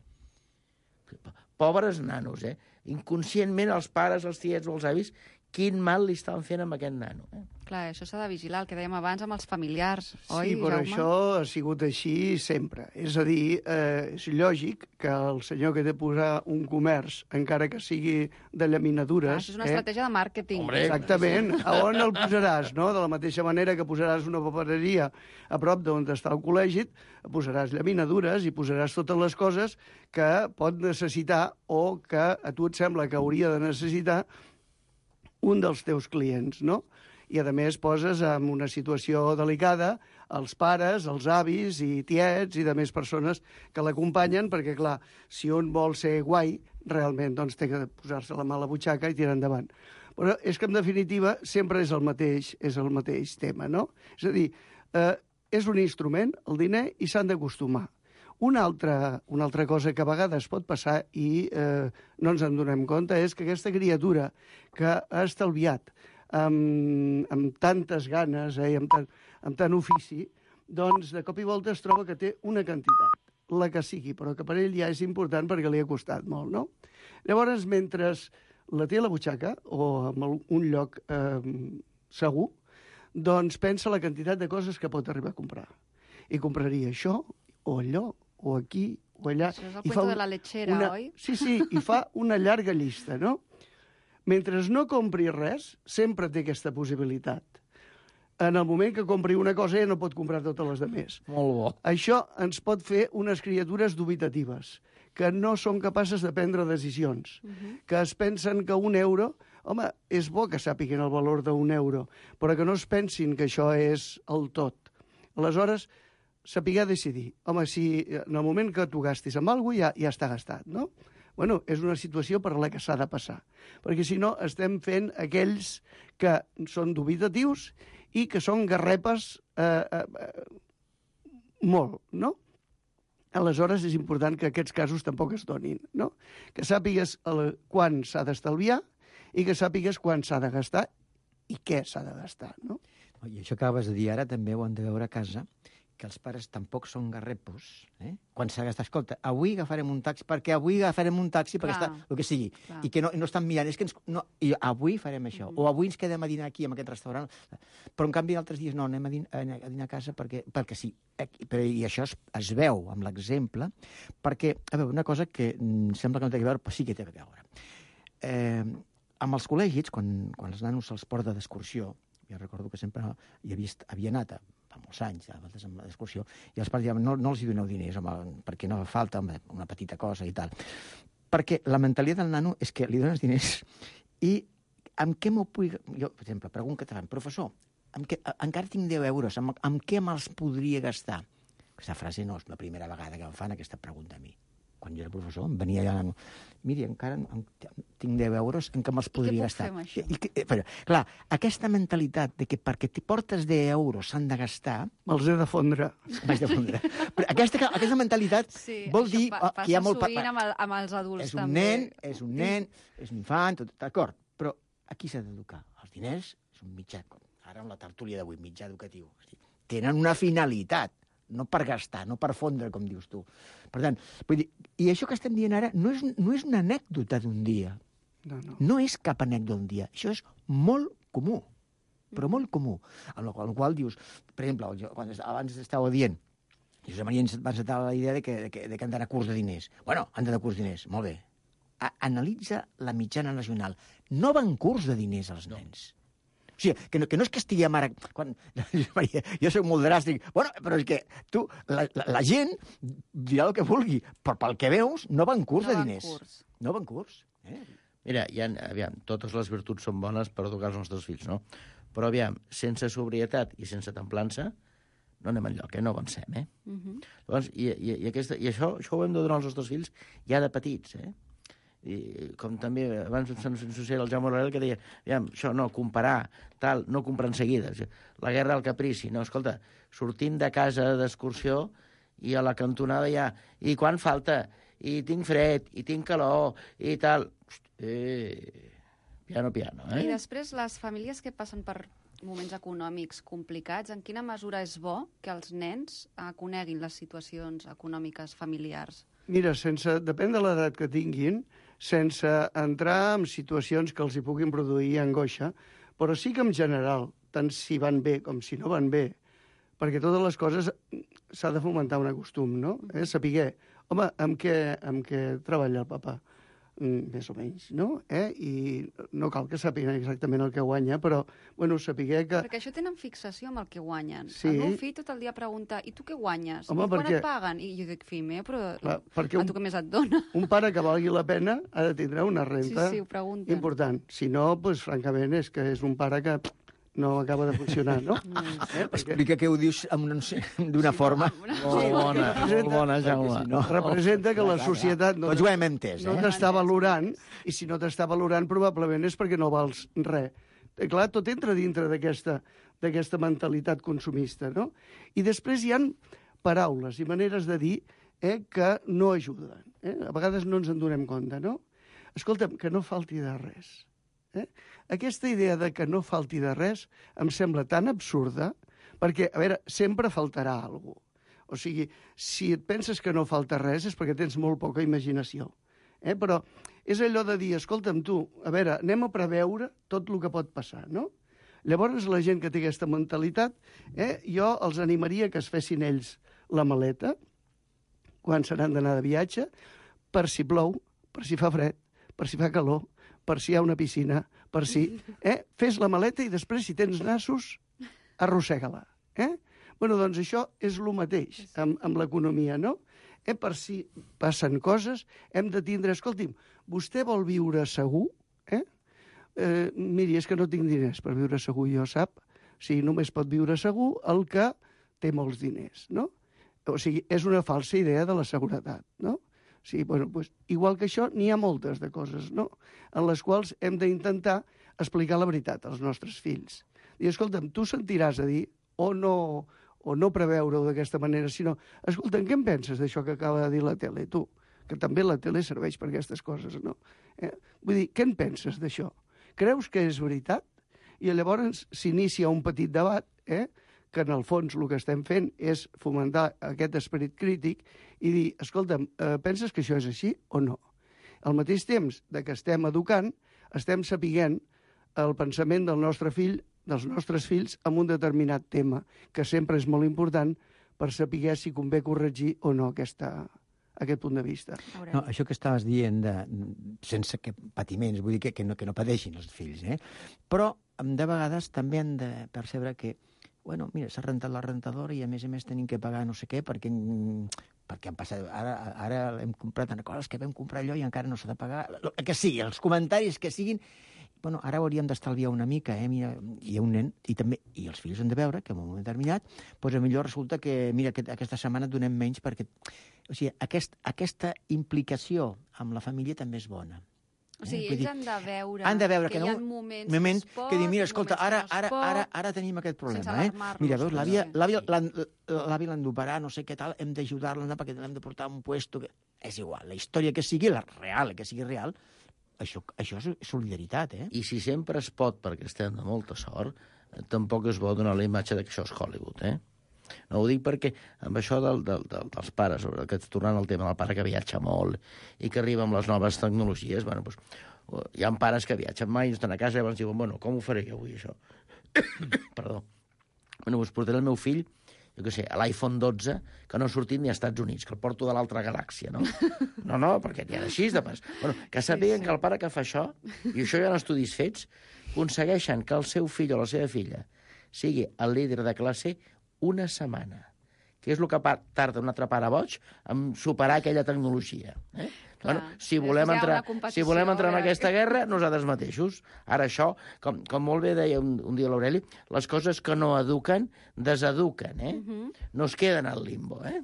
J: Pobres nanos, eh? Inconscientment els pares, els tiets o els avis, quin mal li estan fent amb aquest nano, eh?
F: Clar, això s'ha de vigilar, el que dèiem abans amb els familiars,
H: Sí,
F: oi,
H: però
F: Jaume?
H: això ha sigut així sempre. És a dir, eh, és lògic que el senyor que té de posar un comerç, encara que sigui de
F: Ah,
H: llaminadures...
F: això és una estratègia de màrqueting.
J: Hombre,
H: Exactament. A on el posaràs, no? De la mateixa manera que posaràs una papereria a prop d'on està el col·legi, posaràs llaminadures i posaràs totes les coses que pot necessitar o que a tu et sembla que hauria de necessitar un dels teus clients, no? I, a més, poses en una situació delicada els pares, els avis i tiets i de més persones que l'acompanyen, perquè, clar, si un vol ser guai, realment doncs, té que posar-se la mà a la butxaca i tirar endavant. Però és que, en definitiva, sempre és el mateix, és el mateix tema, no? És a dir, eh, és un instrument, el diner, i s'han d'acostumar. Una altra, una altra cosa que a vegades pot passar i eh, no ens en donem compte és que aquesta criatura que ha estalviat amb, amb tantes ganes eh, i amb tant, amb tant ofici, doncs de cop i volta es troba que té una quantitat, la que sigui, però que per ell ja és important perquè li ha costat molt, no? Llavors, mentre la té a la butxaca o en un lloc eh, segur, doncs pensa la quantitat de coses que pot arribar a comprar. I compraria això, o allò, o aquí, o allà.
F: Això és el cuento de la lechera,
H: una...
F: oi?
H: Sí, sí, i fa una llarga llista, no? Mentre no compri res, sempre té aquesta possibilitat. En el moment que compri una cosa ja no pot comprar totes les demés.
J: Molt bo.
H: Això ens pot fer unes criatures dubitatives, que no són capaces de prendre decisions, uh-huh. que es pensen que un euro... Home, és bo que sàpiguen el valor d'un euro, però que no es pensin que això és el tot. Aleshores, saber decidir. Home, si en el moment que tu gastis amb alguna cosa ja, ja està gastat, no? Bueno, és una situació per la que s'ha de passar. Perquè si no, estem fent aquells que són dubitatius i que són garrepes eh, eh, molt, no? Aleshores, és important que aquests casos tampoc es donin, no? Que sàpigues el, quan s'ha d'estalviar i que sàpigues quan s'ha de gastar i què s'ha de gastar, no?
I: I això que acabes de dir ara també ho han de veure a casa, que els pares tampoc són garrepos, eh? Quan s'ha gastat, escolta, avui agafarem un taxi, perquè avui agafarem un taxi, perquè
F: Clar.
I: està, el que sigui,
F: Clar.
I: i que no, no estan mirant, és que ens, no, i avui farem això, mm -hmm. o avui ens quedem a dinar aquí, en aquest restaurant, però en canvi altres dies no, anem a, din a dinar a casa perquè, perquè sí, però, i això es, es veu amb l'exemple, perquè, a veure, una cosa que mm, sembla que no té a veure, però sí que té a veure. Eh, amb els col·legis, quan, quan els nanos se'ls porta d'excursió, jo recordo que sempre hi havia, havia anat a, fa molts anys, a vegades amb l'excursió, i els pares diuen, no, no els hi doneu diners, home, perquè no fa falta home, una petita cosa i tal. Perquè la mentalitat del nano és que li dones diners i amb què m'ho puc... Jo, per exemple, pregunto que professor, amb què, encara tinc deu euros, amb, amb què me'ls podria gastar? Aquesta frase no és la primera vegada que em fan aquesta pregunta a mi. Quan jo era professor, em venia allà... Miri, encara tinc deu euros en què me'ls podria gastar.
F: Què puc fer amb això?
I: I, i, però, clar, aquesta mentalitat de que perquè t'hi portes deu euros s'han de gastar...
H: Me'ls he de fondre.
I: Vaig de fondre. Però aquesta, aquesta mentalitat
F: sí,
I: vol dir
F: pa
I: que hi ha molt...
F: Passa sovint amb, el, amb els adults,
I: és un
F: també.
I: nen, és un nen, és un infant, tot d'acord. Però aquí s'ha d'educar. Els diners és un mitjà, ara amb la tertúlia d'avui, mitjà educatiu. Tenen una finalitat, no per gastar, no per fondre, com dius tu. Per tant, vull dir, i això que estem dient ara no és, no és una anècdota d'un dia.
H: No, no.
I: No és cap anècdota d'un dia. Això és molt comú, però molt comú. En el qual, en el qual dius, per exemple, jo, quan abans estava dient, Josep Maria ens va encetar la idea de que, de que, de que han d'anar a curs de diners. Bueno, han d'anar a curs de diners, molt bé. A, analitza la mitjana nacional. No van curs de diners als nens. O sigui, que no, que no és que estiguem ara... Quan, Maria, jo soc molt dràstic. Bueno, però és que tu, la, la, la gent dirà el que vulgui, però pel que veus no van curs
F: no
I: de diners.
F: Curs.
I: No van curs. Eh?
J: Mira, ja, aviam, totes les virtuts són bones per educar els nostres fills, no? Però, aviam, sense sobrietat i sense templança, no anem enlloc, eh? No avancem, eh? Uh -huh. Llavors, i, i, i, aquesta, i això, això ho hem de donar als nostres fills ja de petits, eh? I com també abans se'n associava el Jaume Morel que deia, aviam, això no, comparar, tal, no comprar en seguida. La guerra del caprici, no, escolta, sortim de casa d'excursió i a la cantonada ja, i quan falta? I tinc fred, i tinc calor, i tal. Eh, piano, piano, eh?
F: I després, les famílies que passen per moments econòmics complicats, en quina mesura és bo que els nens eh, coneguin les situacions econòmiques familiars?
H: Mira, sense, depèn de l'edat que tinguin, sense entrar en situacions que els hi puguin produir angoixa, però sí que en general, tant si van bé com si no van bé, perquè totes les coses s'ha de fomentar un costum, no? Eh? Saber, home, amb què, amb què treballa el papa? més o menys, no? Eh? I no cal que sàpiguen exactament el que guanya, però, bueno, sapiguer que...
F: Perquè això tenen fixació amb el que guanyen.
H: Sí.
F: El meu fill tot el dia pregunta, i tu què guanyes?
H: Home,
F: I quan
H: perquè...
F: et paguen? I jo dic, fill meu, però
H: Clar, perquè
F: a
H: un-
F: tu què més et dona?
H: Un pare que valgui la pena ha de tindre una renta
F: Sí, sí, ho pregunten.
H: important. Si no, doncs, francament, és que és un pare que no acaba de funcionar, no? Eh? Perquè
I: Explica que ho dius amb una- d'una forma...
J: Molt bona, molt bona, Jaume.
I: Si no-
H: representa que la societat no,
I: Tots ho hem entès,
H: no
I: eh?
H: t'està valorant, i si no t'està valorant probablement és perquè no vals res. Eh, Clar, tot entra dintre d'aquesta d'aquesta mentalitat consumista, no? I després hi han paraules i maneres de dir eh, que no ajuden. Eh? A vegades no ens en donem compte, no? Escolta'm, que no falti de res. Eh? Aquesta idea de que no falti de res em sembla tan absurda, perquè, a veure, sempre faltarà alguna cosa. O sigui, si et penses que no falta res és perquè tens molt poca imaginació. Eh? Però és allò de dir, escolta'm tu, a veure, anem a preveure tot el que pot passar, no? Llavors, la gent que té aquesta mentalitat, eh, jo els animaria que es fessin ells la maleta, quan se n'han d'anar de viatge, per si plou, per si fa fred, per si fa calor, per si hi ha una piscina, per si... Eh? Fes la maleta i després, si tens nassos, arrossega-la. Eh? Bueno, doncs això és el mateix amb, amb l'economia, no? Eh? Per si passen coses, hem de tindre... Escolti'm, vostè vol viure segur? Eh? Eh, miri, és que no tinc diners per viure segur, jo sap? O sigui, només pot viure segur el que té molts diners, no? O sigui, és una falsa idea de la seguretat, no? O sigui, bueno, pues, igual que això, n'hi ha moltes de coses, no?, en les quals hem d'intentar explicar la veritat als nostres fills. I, escolta'm, tu sentiràs a dir, o no, o no preveure-ho d'aquesta manera, sinó, escolta'm, què en penses d'això que acaba de dir la tele, tu? Que també la tele serveix per aquestes coses, no? Eh? Vull dir, què en penses d'això? Creus que és veritat? I llavors s'inicia un petit debat, eh?, que en el fons el que estem fent és fomentar aquest esperit crític i dir, escolta'm, eh, penses que això és així o no? Al mateix temps de que estem educant, estem sapiguent el pensament del nostre fill, dels nostres fills, en un determinat tema, que sempre és molt important per saber si convé corregir o no aquesta, aquest punt de vista.
I: No, això que estaves dient, de, sense que patiments, vull dir que, que, no, que no pateixin els fills, eh? Però de vegades també han de percebre que bueno, mira, s'ha rentat la rentadora i a més a més tenim que pagar no sé què perquè, perquè han passat... Ara, ara hem comprat coses que vam comprar allò i encara no s'ha de pagar. El que sigui, els comentaris que siguin... Bueno, ara hauríem d'estalviar una mica, eh? Mira, hi ha un nen, i també i els fills han de veure que en un moment determinat, doncs millor resulta que, mira, que aquesta setmana et donem menys perquè... O sigui, aquest, aquesta implicació amb la família també és bona.
F: O sigui,
I: Eh?
F: ells
I: Dir,
F: han de veure,
I: han de veure
F: que,
I: que,
F: hi ha
I: no,
F: moments
I: moment
F: que es pot,
I: que dir, mira, escolta,
F: moments
I: ara,
F: que no es
I: ara,
F: pot,
I: ara, ara tenim aquest
F: sense
I: problema, eh?
F: alarmar-los,
I: Mira, veus, l'àvia
F: potser.
I: l'àvia l'han- l'àvia l'han d'operar, no sé què tal, hem d'ajudar-la perquè l'hem de portar a un puesto... Que... És igual, la història que sigui, la real, que sigui real, això, això és solidaritat, eh?
J: I si sempre es pot, perquè estem de molta sort, eh, tampoc es vol donar la imatge de que això és Hollywood, eh? No ho dic perquè amb això del, del, del, dels pares, sobre que tornant al tema del pare que viatja molt i que arriba amb les noves tecnologies, bueno, doncs, hi ha pares que viatgen mai, estan a casa i llavors diuen, bueno, com ho faré jo avui, això? Perdó. Bueno, doncs portaré el meu fill, jo què sé, a l'iPhone dotze, que no ha sortit ni als Estats Units, que el porto de l'altra galàxia, no? No, no, perquè n'hi ha d'així, de pas. Bueno, que sàpiguen sí, sí. que el pare que fa això, i això hi ha estudis fets, aconsegueixen que el seu fill o la seva filla sigui el líder de classe una setmana, que és el que tarda un altre pare boig en superar aquella tecnologia. Eh? Clar, bueno, si volem entrar, si volem entrar en aquesta guerra, nosaltres mateixos. Ara això, com, com molt bé deia un, un dia l'Aureli, les coses que no eduquen, deseduquen, eh? Uh-huh. No es queden al limbo, eh?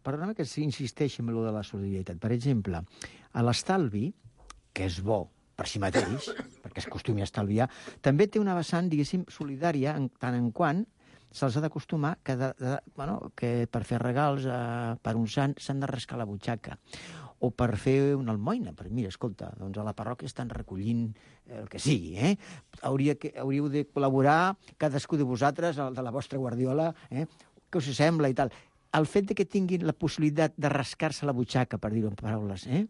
I: Perdona que s'insisteixi en allò de la solidaritat. Per exemple, a l'estalvi, que és bo per si mateix, perquè es acostumi a estalviar, també té una vessant, diguéssim, solidària, en tant en quant se'ls ha d'acostumar que, de, de, bueno, que per fer regals eh, per un sant s'han de rascar la butxaca. O per fer una almoina. Però mira, escolta, doncs a la parròquia estan recollint el que sigui, eh? Hauria que, hauríeu de col·laborar cadascú de vosaltres, el de la vostra guardiola, eh? Què us sembla i tal. El fet de que tinguin la possibilitat de rascar-se la butxaca, per dir-ho en paraules, eh?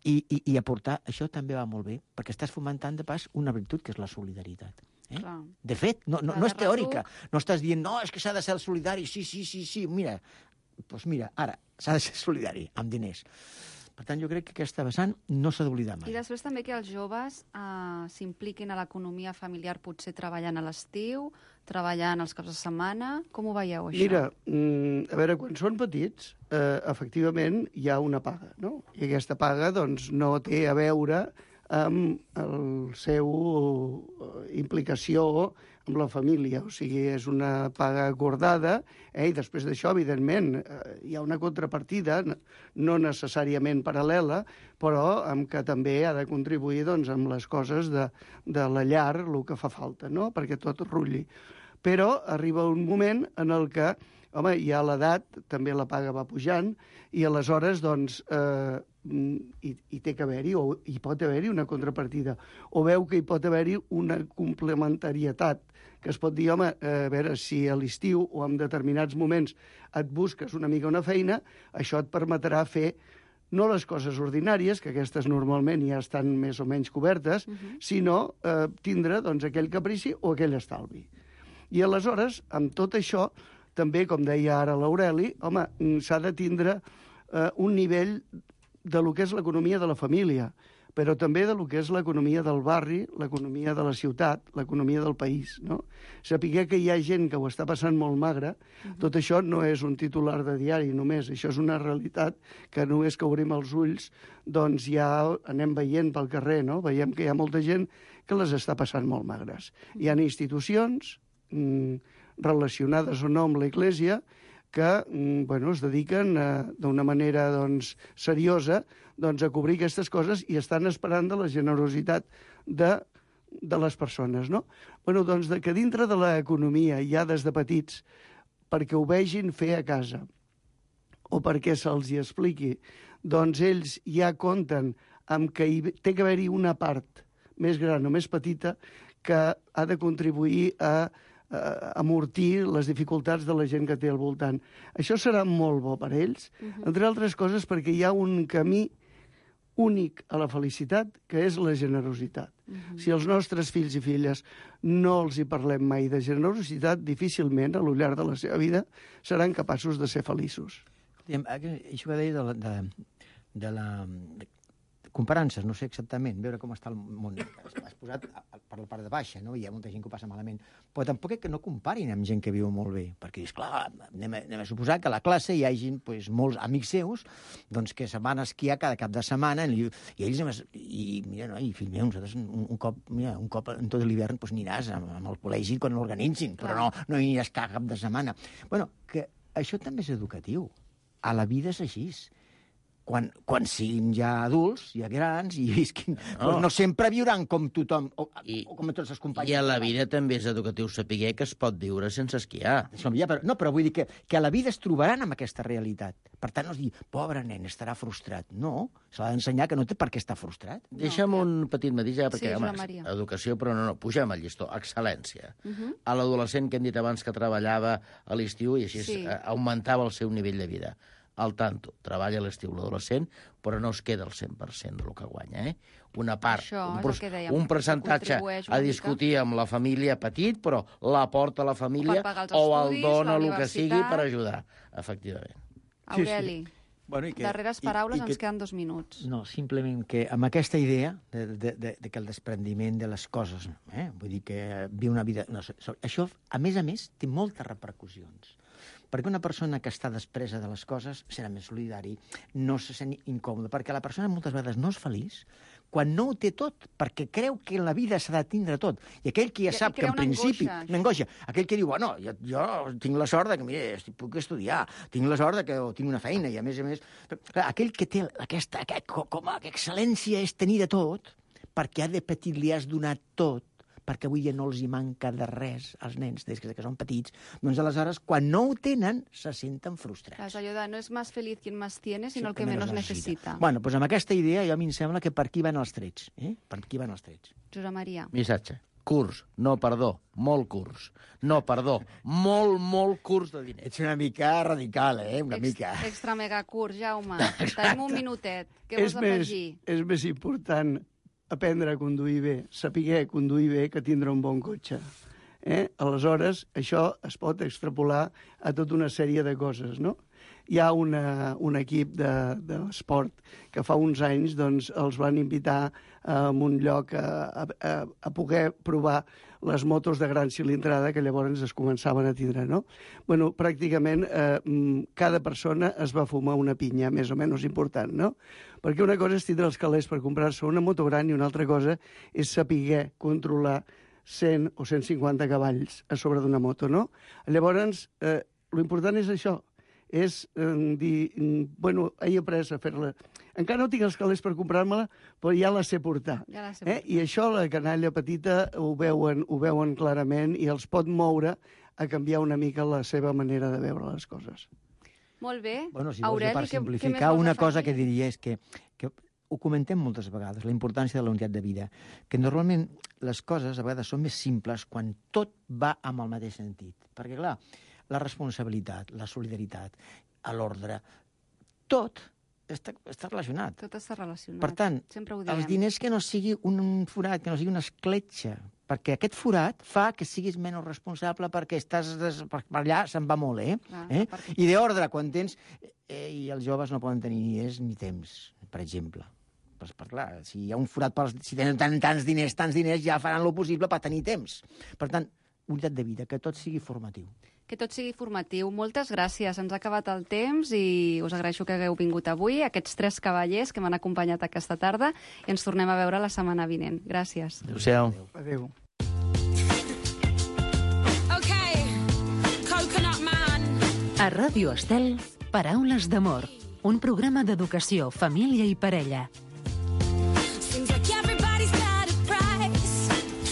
I: I, i, i aportar, això també va molt bé, perquè estàs fomentant de pas una virtut, que és la solidaritat. Eh? De fet, no, no, no és teòrica. No estàs dient, no, és que s'ha de ser el solidari. Sí, sí, sí, sí, mira, doncs mira, ara, s'ha de ser solidari, amb diners. Per tant, jo crec que aquesta vessant no s'ha d'oblidar mai.
F: I després també que els joves eh, s'impliquin a l'economia familiar, potser treballant a l'estiu, treballant els caps de setmana. Com ho veieu, això?
H: Mira, mm, a veure, quan són petits, eh, efectivament, hi ha una paga, no? I aquesta paga, doncs, no té a veure amb el seu implicació amb la família, o sigui, és una paga acordada, eh, i després d'això, evidentment, eh, hi ha una contrapartida, no necessàriament paral·lela, però amb que també ha de contribuir doncs, amb les coses de, de la llar, el que fa falta, no?, perquè tot rulli. Però arriba un moment en el que, home, hi ha l'edat, també la paga va pujant, i aleshores, doncs, eh, hi, hi té que haver-hi, o hi pot haver-hi una contrapartida, o veu que hi pot haver-hi una complementarietat, que es pot dir, home, a veure, si a l'estiu o en determinats moments et busques una mica una feina, això et permetrà fer no les coses ordinàries, que aquestes normalment ja estan més o menys cobertes, uh-huh. sinó eh, tindre doncs, aquell caprici o aquell estalvi. I aleshores, amb tot això, també, com deia ara l'Aureli, home, s'ha de tindre eh, un nivell de lo que és l'economia de la família, però també de lo que és l'economia del barri, l'economia de la ciutat, l'economia del país, no? Sapiguer que hi ha gent que ho està passant molt magre, uh-huh. tot això no és un titular de diari només, això és una realitat que només que obrim els ulls, doncs ja anem veient pel carrer, no? Veiem que hi ha molta gent que les està passant molt magres. Hi ha institucions mm, relacionades o no amb l'Església que mm, bueno, es dediquen eh, d'una manera doncs, seriosa doncs, a cobrir aquestes coses i estan esperant de la generositat de, de les persones. No? Bueno, doncs, de que dintre de l'economia ja des de petits, perquè ho vegin fer a casa o perquè se'ls hi expliqui, doncs ells ja compten amb que hi té que haver-hi una part més gran o més petita que ha de contribuir a amortir les dificultats de la gent que té al voltant. Això serà molt bo per ells, uh-huh. entre altres coses perquè hi ha un camí únic a la felicitat, que és la generositat. Uh-huh. Si els nostres fills i filles no els hi parlem mai de generositat, difícilment, a lo llarg de la seva vida, seran capaços de ser feliços.
I: Això que deia de la... De, de la de comparances, no sé exactament, veure com està el món. Has posat per la part de baixa, no? Hi ha molta gent que ho passa malament. Però tampoc és que no comparin amb gent que viu molt bé, perquè dius, clar, anem a, anem a suposar que a la classe hi hagi pues, molts amics seus doncs, que se van a esquiar cada cap de setmana i, i ells, i mira, no, i fill meu, nosaltres un, un cop, mira, un cop en tot l'hivern pues, aniràs amb, amb el col·legi quan l'organitzin, però no, no aniràs cada cap de setmana. Bueno, que això també és educatiu. A la vida és així. Quan, quan siguin ja adults, ja grans, i visquin... No, doncs no sempre viuran com tothom, o,
J: I,
I: o com tots els companys.
J: I a la vida també és educatiu saber que es pot viure sense esquiar.
I: Ja, però, no, però vull dir que, que a la vida es trobaran amb aquesta realitat. Per tant, no es dir, pobre nen, estarà frustrat. No, se l'ha d'ensenyar que no té per què estar frustrat.
J: No. Deixa'm un petit matís, ja, perquè,
F: sí,
J: home, educació, però no, no, pugem al llistó, excel·lència. Uh -huh. A l'adolescent que hem dit abans que treballava a l'estiu i així sí. augmentava el seu nivell de vida. Al tanto, treballa a l'estiu l'adolescent, però no es queda el cent per cent del que guanya. Eh? Una part,
F: Això,
J: un, dèiem, un percentatge a discutir mica. Amb la família petit, però l'aporta a la família o, o el dona el que sigui per ajudar, efectivament.
F: Aureli, sí, sí.
I: Bueno, i que,
F: darreres paraules
I: i, i que,
F: ens queden dos minuts.
I: No, simplement que amb aquesta idea de, de, de, de que el desprendiment de les coses, eh? vull dir que viu una vida... No, això, a més a més, té moltes repercussions. Perquè una persona que està despresa de les coses serà més solidari, no se sent incòmode, perquè la persona moltes vegades no és feliç quan no ho té tot, perquè creu que en la vida s'ha de tindre tot. I aquell que ja sap que en principi... Una angoixa. Aquell que diu, bueno, jo, jo tinc la sort de que, mira, puc estudiar, tinc la sort de que tinc una feina, i a més a més... Clar, aquell que té aquesta... Aquest, com a excel·lència és tenir de tot, perquè ha de petit li has donat tot, perquè avui ja no els hi manca de res als nens, des que són petits, doncs aleshores, quan no ho tenen, se senten frustrats.
F: És allò de no és més feliç qui més tiene, sinó sí, el que menys necessita.
I: Bueno, doncs amb aquesta idea, jo a mi em sembla que per aquí van els trets. Eh? Per aquí van els trets.
F: Josep Maria.
J: Missatge. Curs, no perdó, molt curs. No perdó, molt, molt curs de diners.
I: Ets una mica radical, eh? Una
F: Ex,
I: mica.
F: Extra mega curs, Jaume. Tenim un minutet. Què vols afegir?
H: És més important aprendre a conduir bé, saber conduir bé, que tindre un bon cotxe. Eh? Aleshores, això es pot extrapolar a tota una sèrie de coses, no? Hi ha una, un equip de, de l'esport que fa uns anys doncs, els van invitar a un lloc a, a, a poder provar les motos de gran cilindrada que llavors es començaven a tindre, no? Bueno, pràcticament eh, cada persona es va fumar una pinya més o menys important, no? Perquè una cosa és tindre els calés per comprar-se una moto gran i una altra cosa és saber controlar cent o cent cinquanta cavalls a sobre d'una moto, no? Llavors, eh, l'important és això, és eh, dir, bueno, he après a fer-la. Encara no tinc els calés per comprar-me-la, però ja la sé portar.
F: Ja la sé
H: eh?
F: portar.
H: I això la canalla petita ho veuen, ho veuen clarament i els pot moure a canviar una mica la seva manera de veure les coses.
F: Molt bé.
I: Bueno, si vols,
F: Aureli,
I: per
F: què- què més
I: simplificar,
F: vols
I: una
F: afegir?
I: cosa que diria és que, que ho comentem moltes vegades, la importància de la unitat de vida, que normalment les coses a vegades són més simples quan tot va amb el mateix sentit. Perquè, clar, la responsabilitat, la solidaritat, l'ordre, tot està, està relacionat.
F: Tot està relacionat.
I: Per tant,
F: Sempre ho diem.
I: els diners que no sigui un forat, que no sigui una escletxa, perquè aquest forat fa que siguis menys responsable perquè estàs des... per allà se'n va molt, eh?
F: Clar,
I: eh?
F: perquè-
I: I d'ordre, quan tens... Eh, I els joves no poden tenir ni diners ni temps, per exemple. Pues, per clar, si hi ha un forat, pels... si tenen tant, tants diners, tants diners, ja faran lo possible per tenir temps. Per tant, unitat de vida, que tot sigui formatiu.
F: Que tot sigui formatiu. Moltes gràcies. Ens ha acabat el temps i us agraeixo que hagueu vingut avui, aquests tres cavallers que m'han acompanyat aquesta tarda, i ens tornem a veure la setmana vinent. Gràcies.
J: Adéu-siau.
H: Adéu.
G: Okay, Coconut Man.
C: A Ràdio Estel, Paraules d'amor, un programa d'educació, família i parella.
G: Seems like everybody's got a price.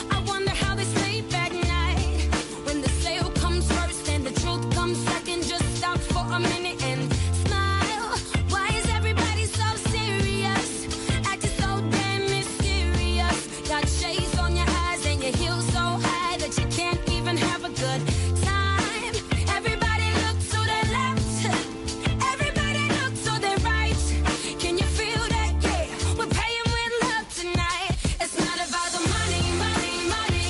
G: I wonder how they sleep at night. When the sale comes first and the truth comes second, just stop for a minute and smile. Why is everybody so serious? Acting so damn mysterious. Got shades on your eyes and your heels so high that you can't even have a good time. Everybody look to the left. Everybody look to the right. Can you feel that? Yeah, we're paying with love tonight. It's not about the money, money, money.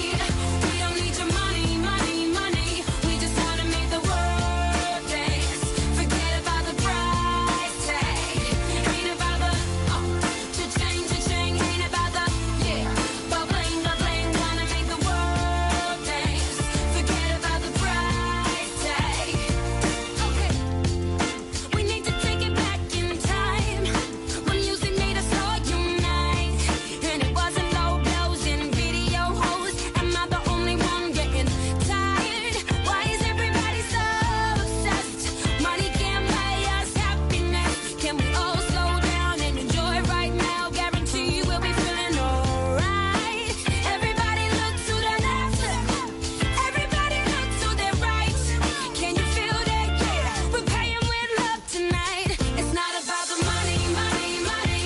G: We don't need your money, money, money. We just wanna make the world dance. Forget about the price tag. Ain't about the oh, cha-ching, cha-ching. Ain't about the yeah, but bling, but bling. Wanna make the world dance. Forget about the price tag. Okay. We need to take it back in time when music made us all unite, and it wasn't low blows and video hoes. Am I the only one getting tired? Why is everybody so obsessed? Money can't buy us happiness. Can we all slow down and enjoy right now? Guarantee we'll be feeling alright. Everybody look to the left. Everybody look to the right. Can you feel that? Yeah, we're paying with love tonight. It's not about the money, money, money.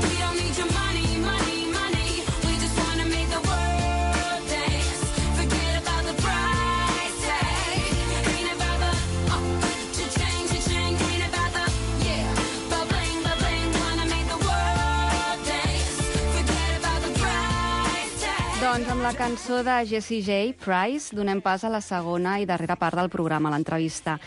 G: We don't need your money, money, money. We just wanna make the world dance. Forget about the price tag. Ain't about the oh, cha-ching, cha-ching. Ain't about the yeah, but bling, but bling. Wanna make the world dance. Forget about the price tag.
F: Doncs amb la cançó de Jessie J, Price, donem pas a la segona i darrera part del programa, l'entrevista.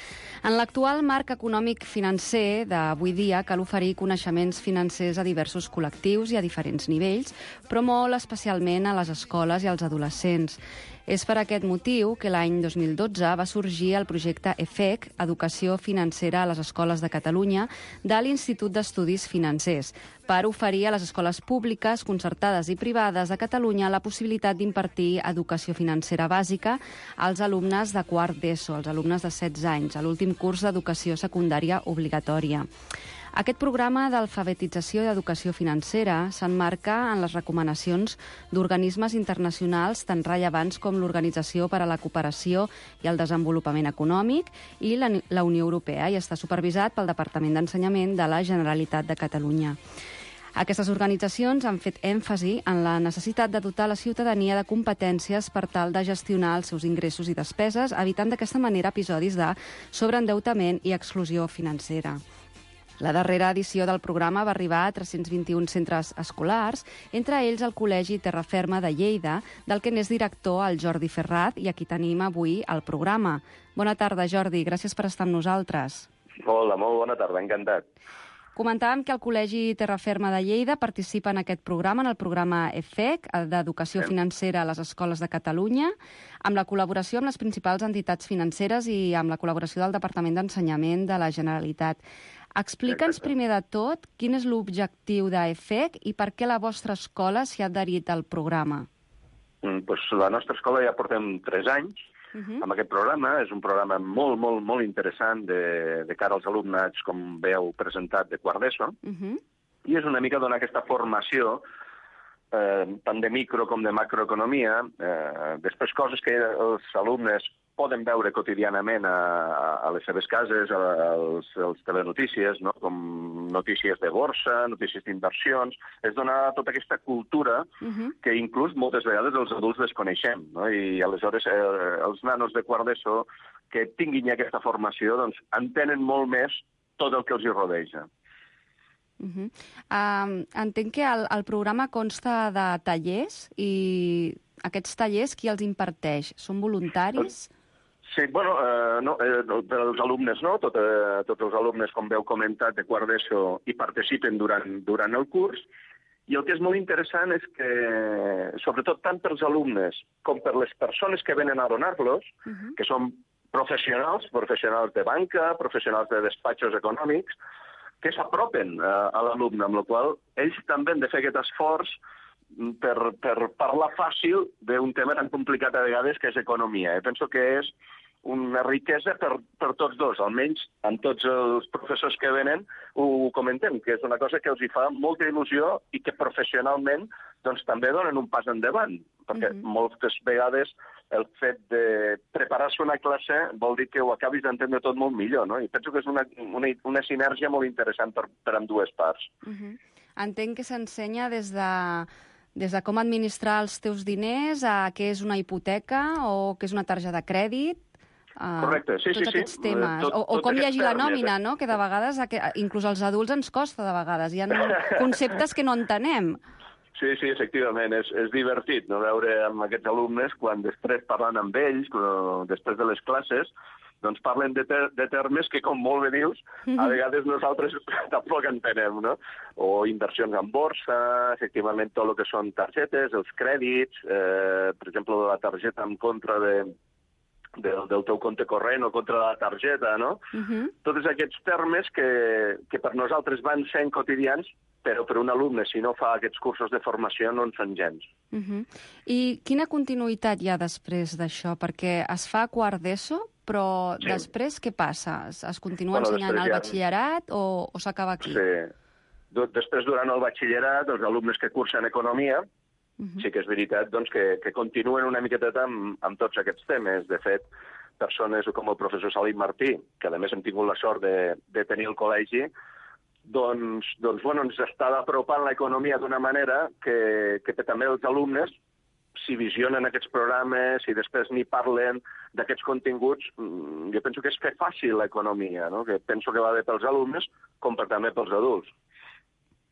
F: En l'actual marc econòmic financer d'avui dia cal oferir coneixements financers a diversos col·lectius i a diferents nivells, però molt especialment a les escoles i als adolescents. És per aquest motiu que l'any dos mil dotze va sorgir el projecte E F E C, Educació Financera a les Escoles de Catalunya, de l'Institut d'Estudis Financers, per oferir a les escoles públiques, concertades i privades de Catalunya la possibilitat d'impartir educació financera bàsica als alumnes de quart d'ESO, als alumnes de setze anys, a l'últim curs d'educació secundària obligatòria. Aquest programa d'alfabetització i d'educació financera s'emmarca en les recomanacions d'organismes internacionals tan rellevants com l'Organització per a la Cooperació i el Desenvolupament Econòmic i la, la Unió Europea i està supervisat pel Departament d'Ensenyament de la Generalitat de Catalunya. Aquestes organitzacions han fet èmfasi en la necessitat de dotar la ciutadania de competències per tal de gestionar els seus ingressos i despeses, evitant d'aquesta manera episodis de sobreendeutament i exclusió financera. La darrera edició del programa va arribar a tres-cents vint-i-un centres escolars, entre ells el Col·legi Terraferma de Lleida, del que n'és director el Jordi Ferrat, i aquí tenim avui el programa. Bona tarda, Jordi, gràcies per estar amb nosaltres.
K: Hola, molt bona tarda, encantat.
F: Comentàvem que el Col·legi Terraferma de Lleida participa en aquest programa, en el programa E F E C, d'Educació Financera a les Escoles de Catalunya, amb la col·laboració amb les principals entitats financeres i amb la col·laboració del Departament d'Ensenyament de la Generalitat. Explica'ns primer de tot quin és l'objectiu d'E F E C i per què la vostra escola s'hi ha adherit al programa.
K: Mm, doncs la nostra escola ja portem tres anys uh-huh. amb aquest programa. És un programa molt, molt, molt interessant de, de cara als alumnes, com bé heu presentat, de quart d'ESO, uh-huh. i és una mica donar aquesta formació eh, tant de micro com de macroeconomia, eh, després coses que els alumnes poden veure quotidianament a, a les seves cases, als, als telenotícies, no? Com notícies de borsa, notícies d'inversions. És donar tota aquesta cultura uh-huh. que inclús moltes vegades els adults desconeixem, no? I aleshores eh, els nanos de quart d'ESO que tinguin aquesta formació doncs, entenen molt més tot el que els hi rodeja.
F: Uh-huh. Um, entenc que el, el programa consta de tallers i aquests tallers qui els imparteix? Són voluntaris?
K: Sí, bueno, eh, no, eh, els alumnes no, tot, eh, tots els alumnes, com veu comentat, de quart d'ESO hi participen durant, durant el curs, i el que és molt interessant és que, sobretot tant pels alumnes com per les persones que venen a donar-los, uh-huh. que són professionals, professionals de banca, professionals de despatxos econòmics, que s'apropen eh, a l'alumne, amb la qual ells també han de fer aquest esforç per, per parlar fàcil d'un tema tan complicat a vegades que és economia. Eh? Penso que és una riquesa per, per tots dos, almenys amb tots els professors que venen ho comentem, que és una cosa que els hi fa molta il·lusió i que professionalment doncs, també donen un pas endavant, perquè mm-hmm. moltes vegades el fet de preparar-se una classe vol dir que ho acabis d'entendre tot molt millor, no? I penso que és una, una, una sinergia molt interessant per, per amb dues parts.
F: Mm-hmm. Entenc que s'ensenya des de, des de com administrar els teus diners a què és una hipoteca o què és una targeta de crèdit. Uh,
K: Correcte, sí,
F: tots
K: sí,
F: aquests
K: sí.
F: temes.
K: Tot,
F: o, o com llegir la nòmina, no? Que de vegades, inclús als adults ens costa de vegades. Hi ha conceptes que no entenem.
K: Sí, sí, efectivament. És, és divertit no veure amb aquests alumnes quan després parlant amb ells, després de les classes, doncs parlen de, ter de termes que, com molt bé dius, a vegades nosaltres tampoc entenem, no? O inversions en borsa, efectivament tot el que són targetes, els crèdits, eh, per exemple, la targeta en contra de... Del, del teu compte corrent o contra la targeta, no? Uh-huh. Tots aquests termes que, que per nosaltres van sent quotidians, però per un alumne, si no fa aquests cursos de formació, no en són gens.
F: Uh-huh. I quina continuïtat hi ha després d'això? Perquè es fa quart d'ESO, però sí. després què passa? Es, es continua bueno, ensenyant al batxillerat o, o s'acaba aquí?
K: Sí. Després, durant el batxillerat, els alumnes que cursen economia, Uh-huh. sí que és veritat doncs, que, que continuen una miqueta amb, amb tots aquests temes. De fet, persones com el professor Salim Martí, que a més hem tingut la sort de, de tenir al col·legi, doncs, doncs bueno, ens està apropant l'economia d'una manera que, que també els alumnes, si visionen aquests programes, si després n'hi parlen d'aquests continguts, jo penso que és fer fàcil l'economia, no? Que penso que va bé pels alumnes com per també pels adults.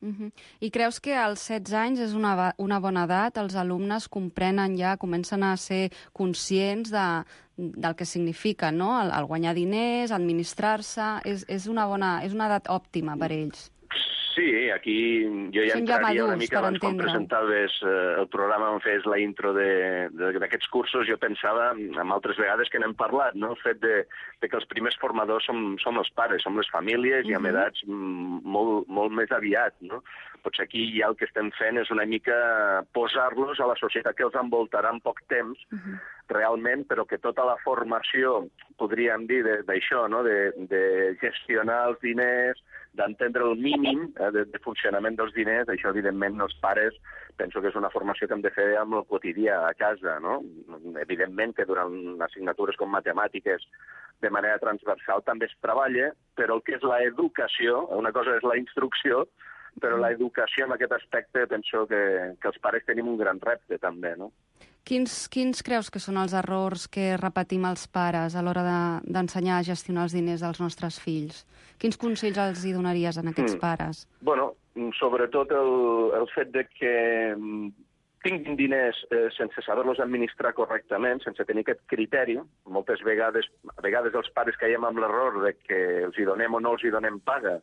F: Uh-huh. I creus que als setze anys és una, una bona edat? Els alumnes comprenen ja, comencen a ser conscients de, del que significa, no? El, el guanyar diners, administrar-se... És, és, una bona, és una edat òptima per ells.
K: Sí, aquí jo ja
F: Són
K: entraria
F: ja
K: una mica abans quan
F: entendre.
K: presentaves eh, el programa on fes la intro d'aquests cursos. Jo pensava, amb altres vegades que n'hem parlat, no? El fet de, de que els primers formadors som, som els pares, som les famílies, uh-huh. i amb edats molt, molt més aviat, no? Potser aquí ja el que estem fent és una mica posar-los a la societat que els envoltarà en poc temps, uh-huh. realment, però que tota la formació, podríem dir, d'això, no? de, de gestionar els diners, d'entendre el mínim eh, de, de funcionament dels diners, això evidentment els pares penso que és una formació que hem de fer amb el quotidià a casa, no? Evidentment que durant assignatures com matemàtiques de manera transversal també es treballa, però el que és l'educació, una cosa és la instrucció, però l'educació en aquest aspecte penso que, que els pares tenim un gran repte també, no?
F: Quins, quins creus que són els errors que repetim els pares a l'hora de, d'ensenyar a gestionar els diners dels nostres fills? Quins consells els hi donaries a aquests
K: Mm.
F: pares?
K: Bueno, sobretot el, el fet de que mm, tinguin diners eh, sense saber-los administrar correctament, sense tenir aquest criteri. Moltes vegades, a vegades els pares caiem amb l'error de que els hi donem o no els hi donem paga,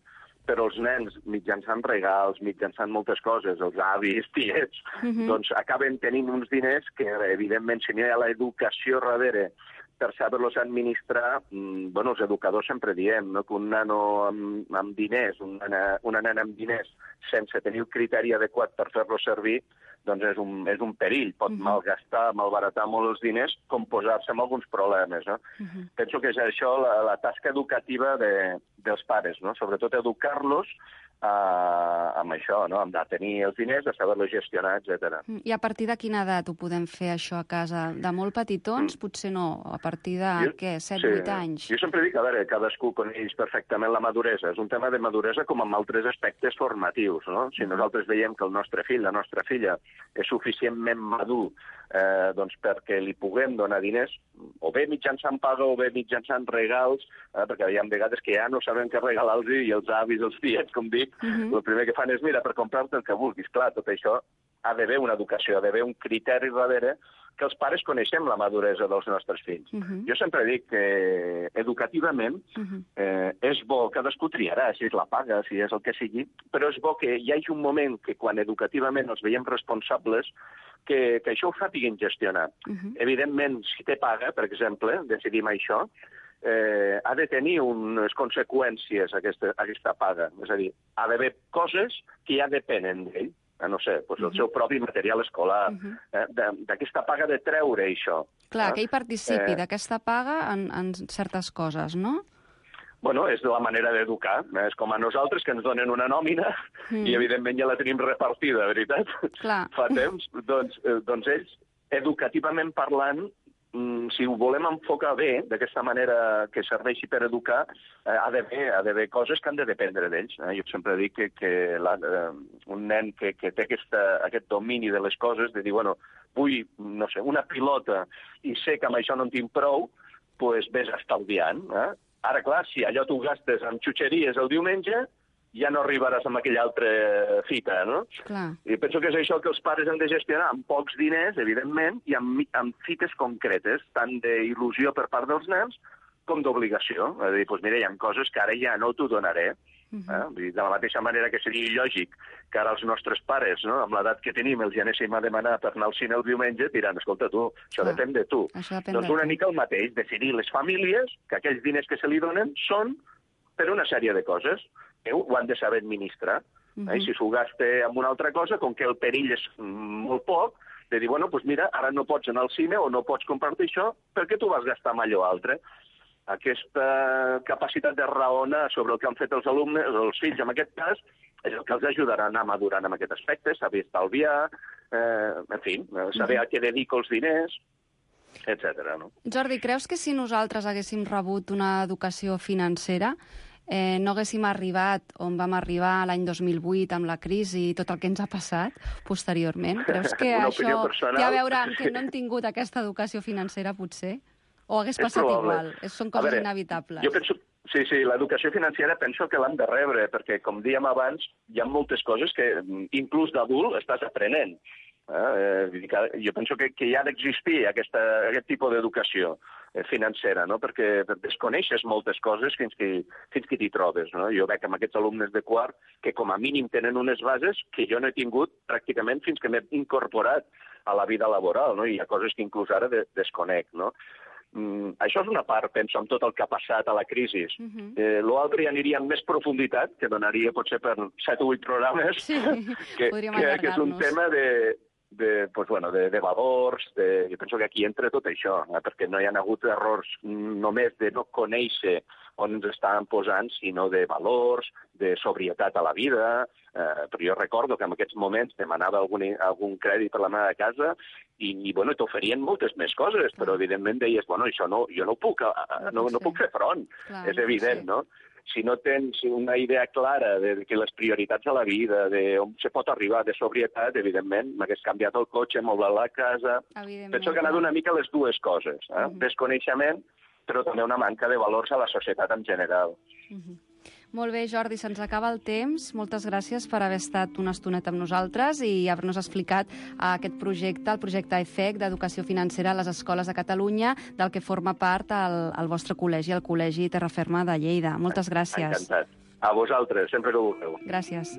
K: però els nens, mitjançant regals, mitjançant moltes coses, els avis, tiets,
F: Mhm.
K: doncs acaben tenint uns diners que, evidentment, si no hi ha l'educació darrere per saber-los administrar, mm, bueno, els educadors sempre diem, no?, que un nano amb, amb diners, una nena, una nena amb diners, sense tenir el criteri adequat per fer-los servir, doncs és un, és un perill. Pot
F: Mhm.
K: malgastar, malbaratar molt els diners, com posar-se en alguns problemes, no?
F: Mhm.
K: Penso que és això la, la tasca educativa de, dels pares, no? Sobretot educar-los eh, amb això, no? Amb de tenir els diners, de saber-los gestionar, etcètera.
F: Mm, I a partir de quina edat ho podem fer, això, a casa? De molt petitons? Potser no. A partir de,
K: Jo-
F: què, set,
K: sí.
F: vuit anys?
K: Jo sempre dic, a veure, cadascú coneix perfectament la maduresa. És un tema de maduresa com amb altres aspectes formatius, no? Si nosaltres veiem que el nostre fill, la nostra filla, és suficientment madur eh, doncs perquè li puguem donar diners, o bé mitjançant paga o bé mitjançant regals, eh, perquè hi ha vegades que ja no sabem què regalar-los i els avis, els tiets, com dic,
F: Mhm.
K: el primer que fan és, mira, per comprar-te el que vulguis. Clar, tot això ha d'haver una educació, ha d'haver un criteri darrere que els pares coneixem la maduresa dels nostres fills.
F: Mhm.
K: Jo sempre dic que educativament
F: Mhm.
K: eh, és bo, cadascú triarà, si és la paga, si és el que sigui, però és bo que hi hagi un moment que quan educativament els veiem responsables, que, que això ho sàpiguin gestionar.
F: Mhm.
K: Evidentment, si té paga, per exemple, decidim això, eh, ha de tenir unes conseqüències aquesta, aquesta paga. És a dir, ha d'haver coses que ja depenen d'ell. Eh, no sé, doncs el
F: Mhm.
K: seu propi material escolar,
F: Mhm.
K: eh, de- d'aquesta paga de treure això.
F: Clar,
K: eh?
F: que ell participi
K: Eh,
F: d'aquesta paga en, en certes coses, no?
K: Bueno, és la manera d'educar. Eh? És com a nosaltres, que ens donen una nòmina
F: Mm.
K: i, evidentment, ja la tenim repartida, veritat?
F: Clar.
K: Fa temps. Doncs, eh, doncs ells, educativament parlant, mm, si ho volem enfocar bé, d'aquesta manera que serveixi per educar, eh, ha d'haver ha d'haver coses que han de dependre d'ells. Eh? Jo sempre dic que, que la, eh, un nen que, que té aquesta, aquest domini de les coses, de dir, bueno, vull, no sé, una pilota i sé que amb això no en tinc prou, doncs vés estalviant. Eh? Ara, clar, si allò tu gastes amb xutxeries el diumenge, ja no arribaràs amb aquella altra fita, no?
F: Clar.
K: I penso que és això que els pares han de gestionar, amb pocs diners, evidentment, i amb, amb fites concretes, tant d'il·lusió per part dels nens com d'obligació. És a dir, doncs mira, hi ha coses que ara ja no t'ho donaré.
F: Mhm.
K: Eh? Vull dir, de la mateixa manera que seria il·lògic que ara els nostres pares, no? Amb l'edat que tenim, els hi anéssim a demanar per anar al cine el diumenge, diran, escolta, tu, això
F: Clar.
K: depèn de tu.
F: Això depèn
K: Doncs
F: de
K: una
F: tu.
K: mica el mateix, decidir les famílies que aquells diners que se li donen són per una sèrie de coses que ho han de saber administrar.
F: Mhm.
K: Eh? I si s'ho gasta en una altra cosa, com que el perill és mm, molt poc, de dir, bueno, doncs mira, ara no pots anar al cine o no pots comprar-te això perquè tu vas gastar amb allò altre. Aquesta capacitat de raonar sobre el que han fet els alumnes, els fills en aquest cas, és el que els ajudarà a anar madurant en aquest aspecte, saber estalviar, eh, en fi, saber a què dedico els diners, etcètera. No?
F: Jordi, creus que si nosaltres haguéssim rebut una educació financera, eh, no haguéssim arribat on vam arribar l'any dos mil vuit amb la crisi i tot el que ens ha passat posteriorment? Creus que
K: Una
F: això
K: opinió personal.
F: té a veure amb que no hem tingut aquesta educació financera, potser? O hagués
K: És
F: passat
K: probable.
F: igual? És, són
K: A
F: coses
K: veure,
F: inevitables.
K: Jo penso, sí, sí, l'educació financera penso que l'hem de rebre, perquè, com dèiem abans, hi ha moltes coses que, inclús d'adult, estàs aprenent. Eh? Vull dir que jo penso que, que hi ha d'existir aquesta, aquest tipus d'educació eh, financera, no? Perquè desconeixes moltes coses fins que, fins que t'hi trobes. No? Jo veig amb aquests alumnes de quart que com a mínim tenen unes bases que jo no he tingut pràcticament fins que m'he incorporat a la vida laboral, no? I hi ha coses que inclús ara de, desconec, no? Mm, això és una part, penso, amb tot el que ha passat a la crisi.
F: Mhm.
K: Eh, L'altre ja aniria amb més profunditat, que donaria potser per set o vuit programes,
F: Sí,
K: que,
F: podríem
K: que, que és un
F: allargar-nos.
K: tema de, de, pues, bueno, de, de valors, de, jo penso que aquí entra tot això, eh, perquè no hi ha hagut errors només de no conèixer on ens estàvem posant, sinó de valors, de sobrietat a la vida. Eh, però jo recordo que en aquests moments demanava algun, algun crèdit per la meva casa i, i bueno, t'oferien moltes més coses, però evidentment deies, bueno, això no, jo no puc, no, no puc fer front,
F: Clar,
K: és
F: no pot
K: evident,
F: ser.
K: no? si no tens una idea clara de que les prioritats de la vida, de on se pot arribar, de sobrietat, evidentment, m'hagués canviat el cotxe, moblat la casa... Penso que ha anat una mica les dues coses, eh? Uh -huh. Desconeixement, però també una manca de valors a la societat en general.
F: Uh -huh. Molt bé, Jordi, se'ns acaba el temps. Moltes gràcies per haver estat una estoneta amb nosaltres i haver-nos explicat aquest projecte, el projecte E F E C d'Educació Financera a les Escoles de Catalunya, del que forma part el, el vostre col·legi, el Col·legi Terraferma de Lleida. Moltes gràcies.
K: Encantat. A vosaltres, sempre que vulgueu.
F: Gràcies.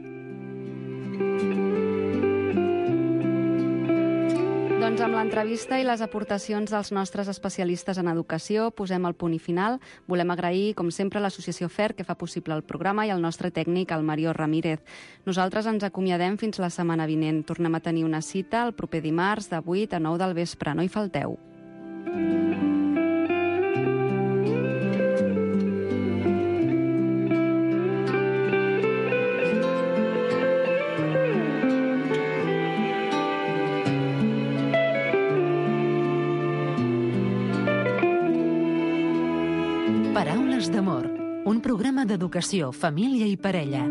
F: Doncs amb l'entrevista i les aportacions dels nostres especialistes en educació posem el punt i final. Volem agrair, com sempre, l'associació F E R, que fa possible el programa, i el nostre tècnic, el Mario Ramírez. Nosaltres ens acomiadem fins la setmana vinent. Tornem a tenir una cita el proper dimarts de vuit a nou del vespre. No hi falteu.
C: Paraules d'amor, un programa d'educació, família i parella.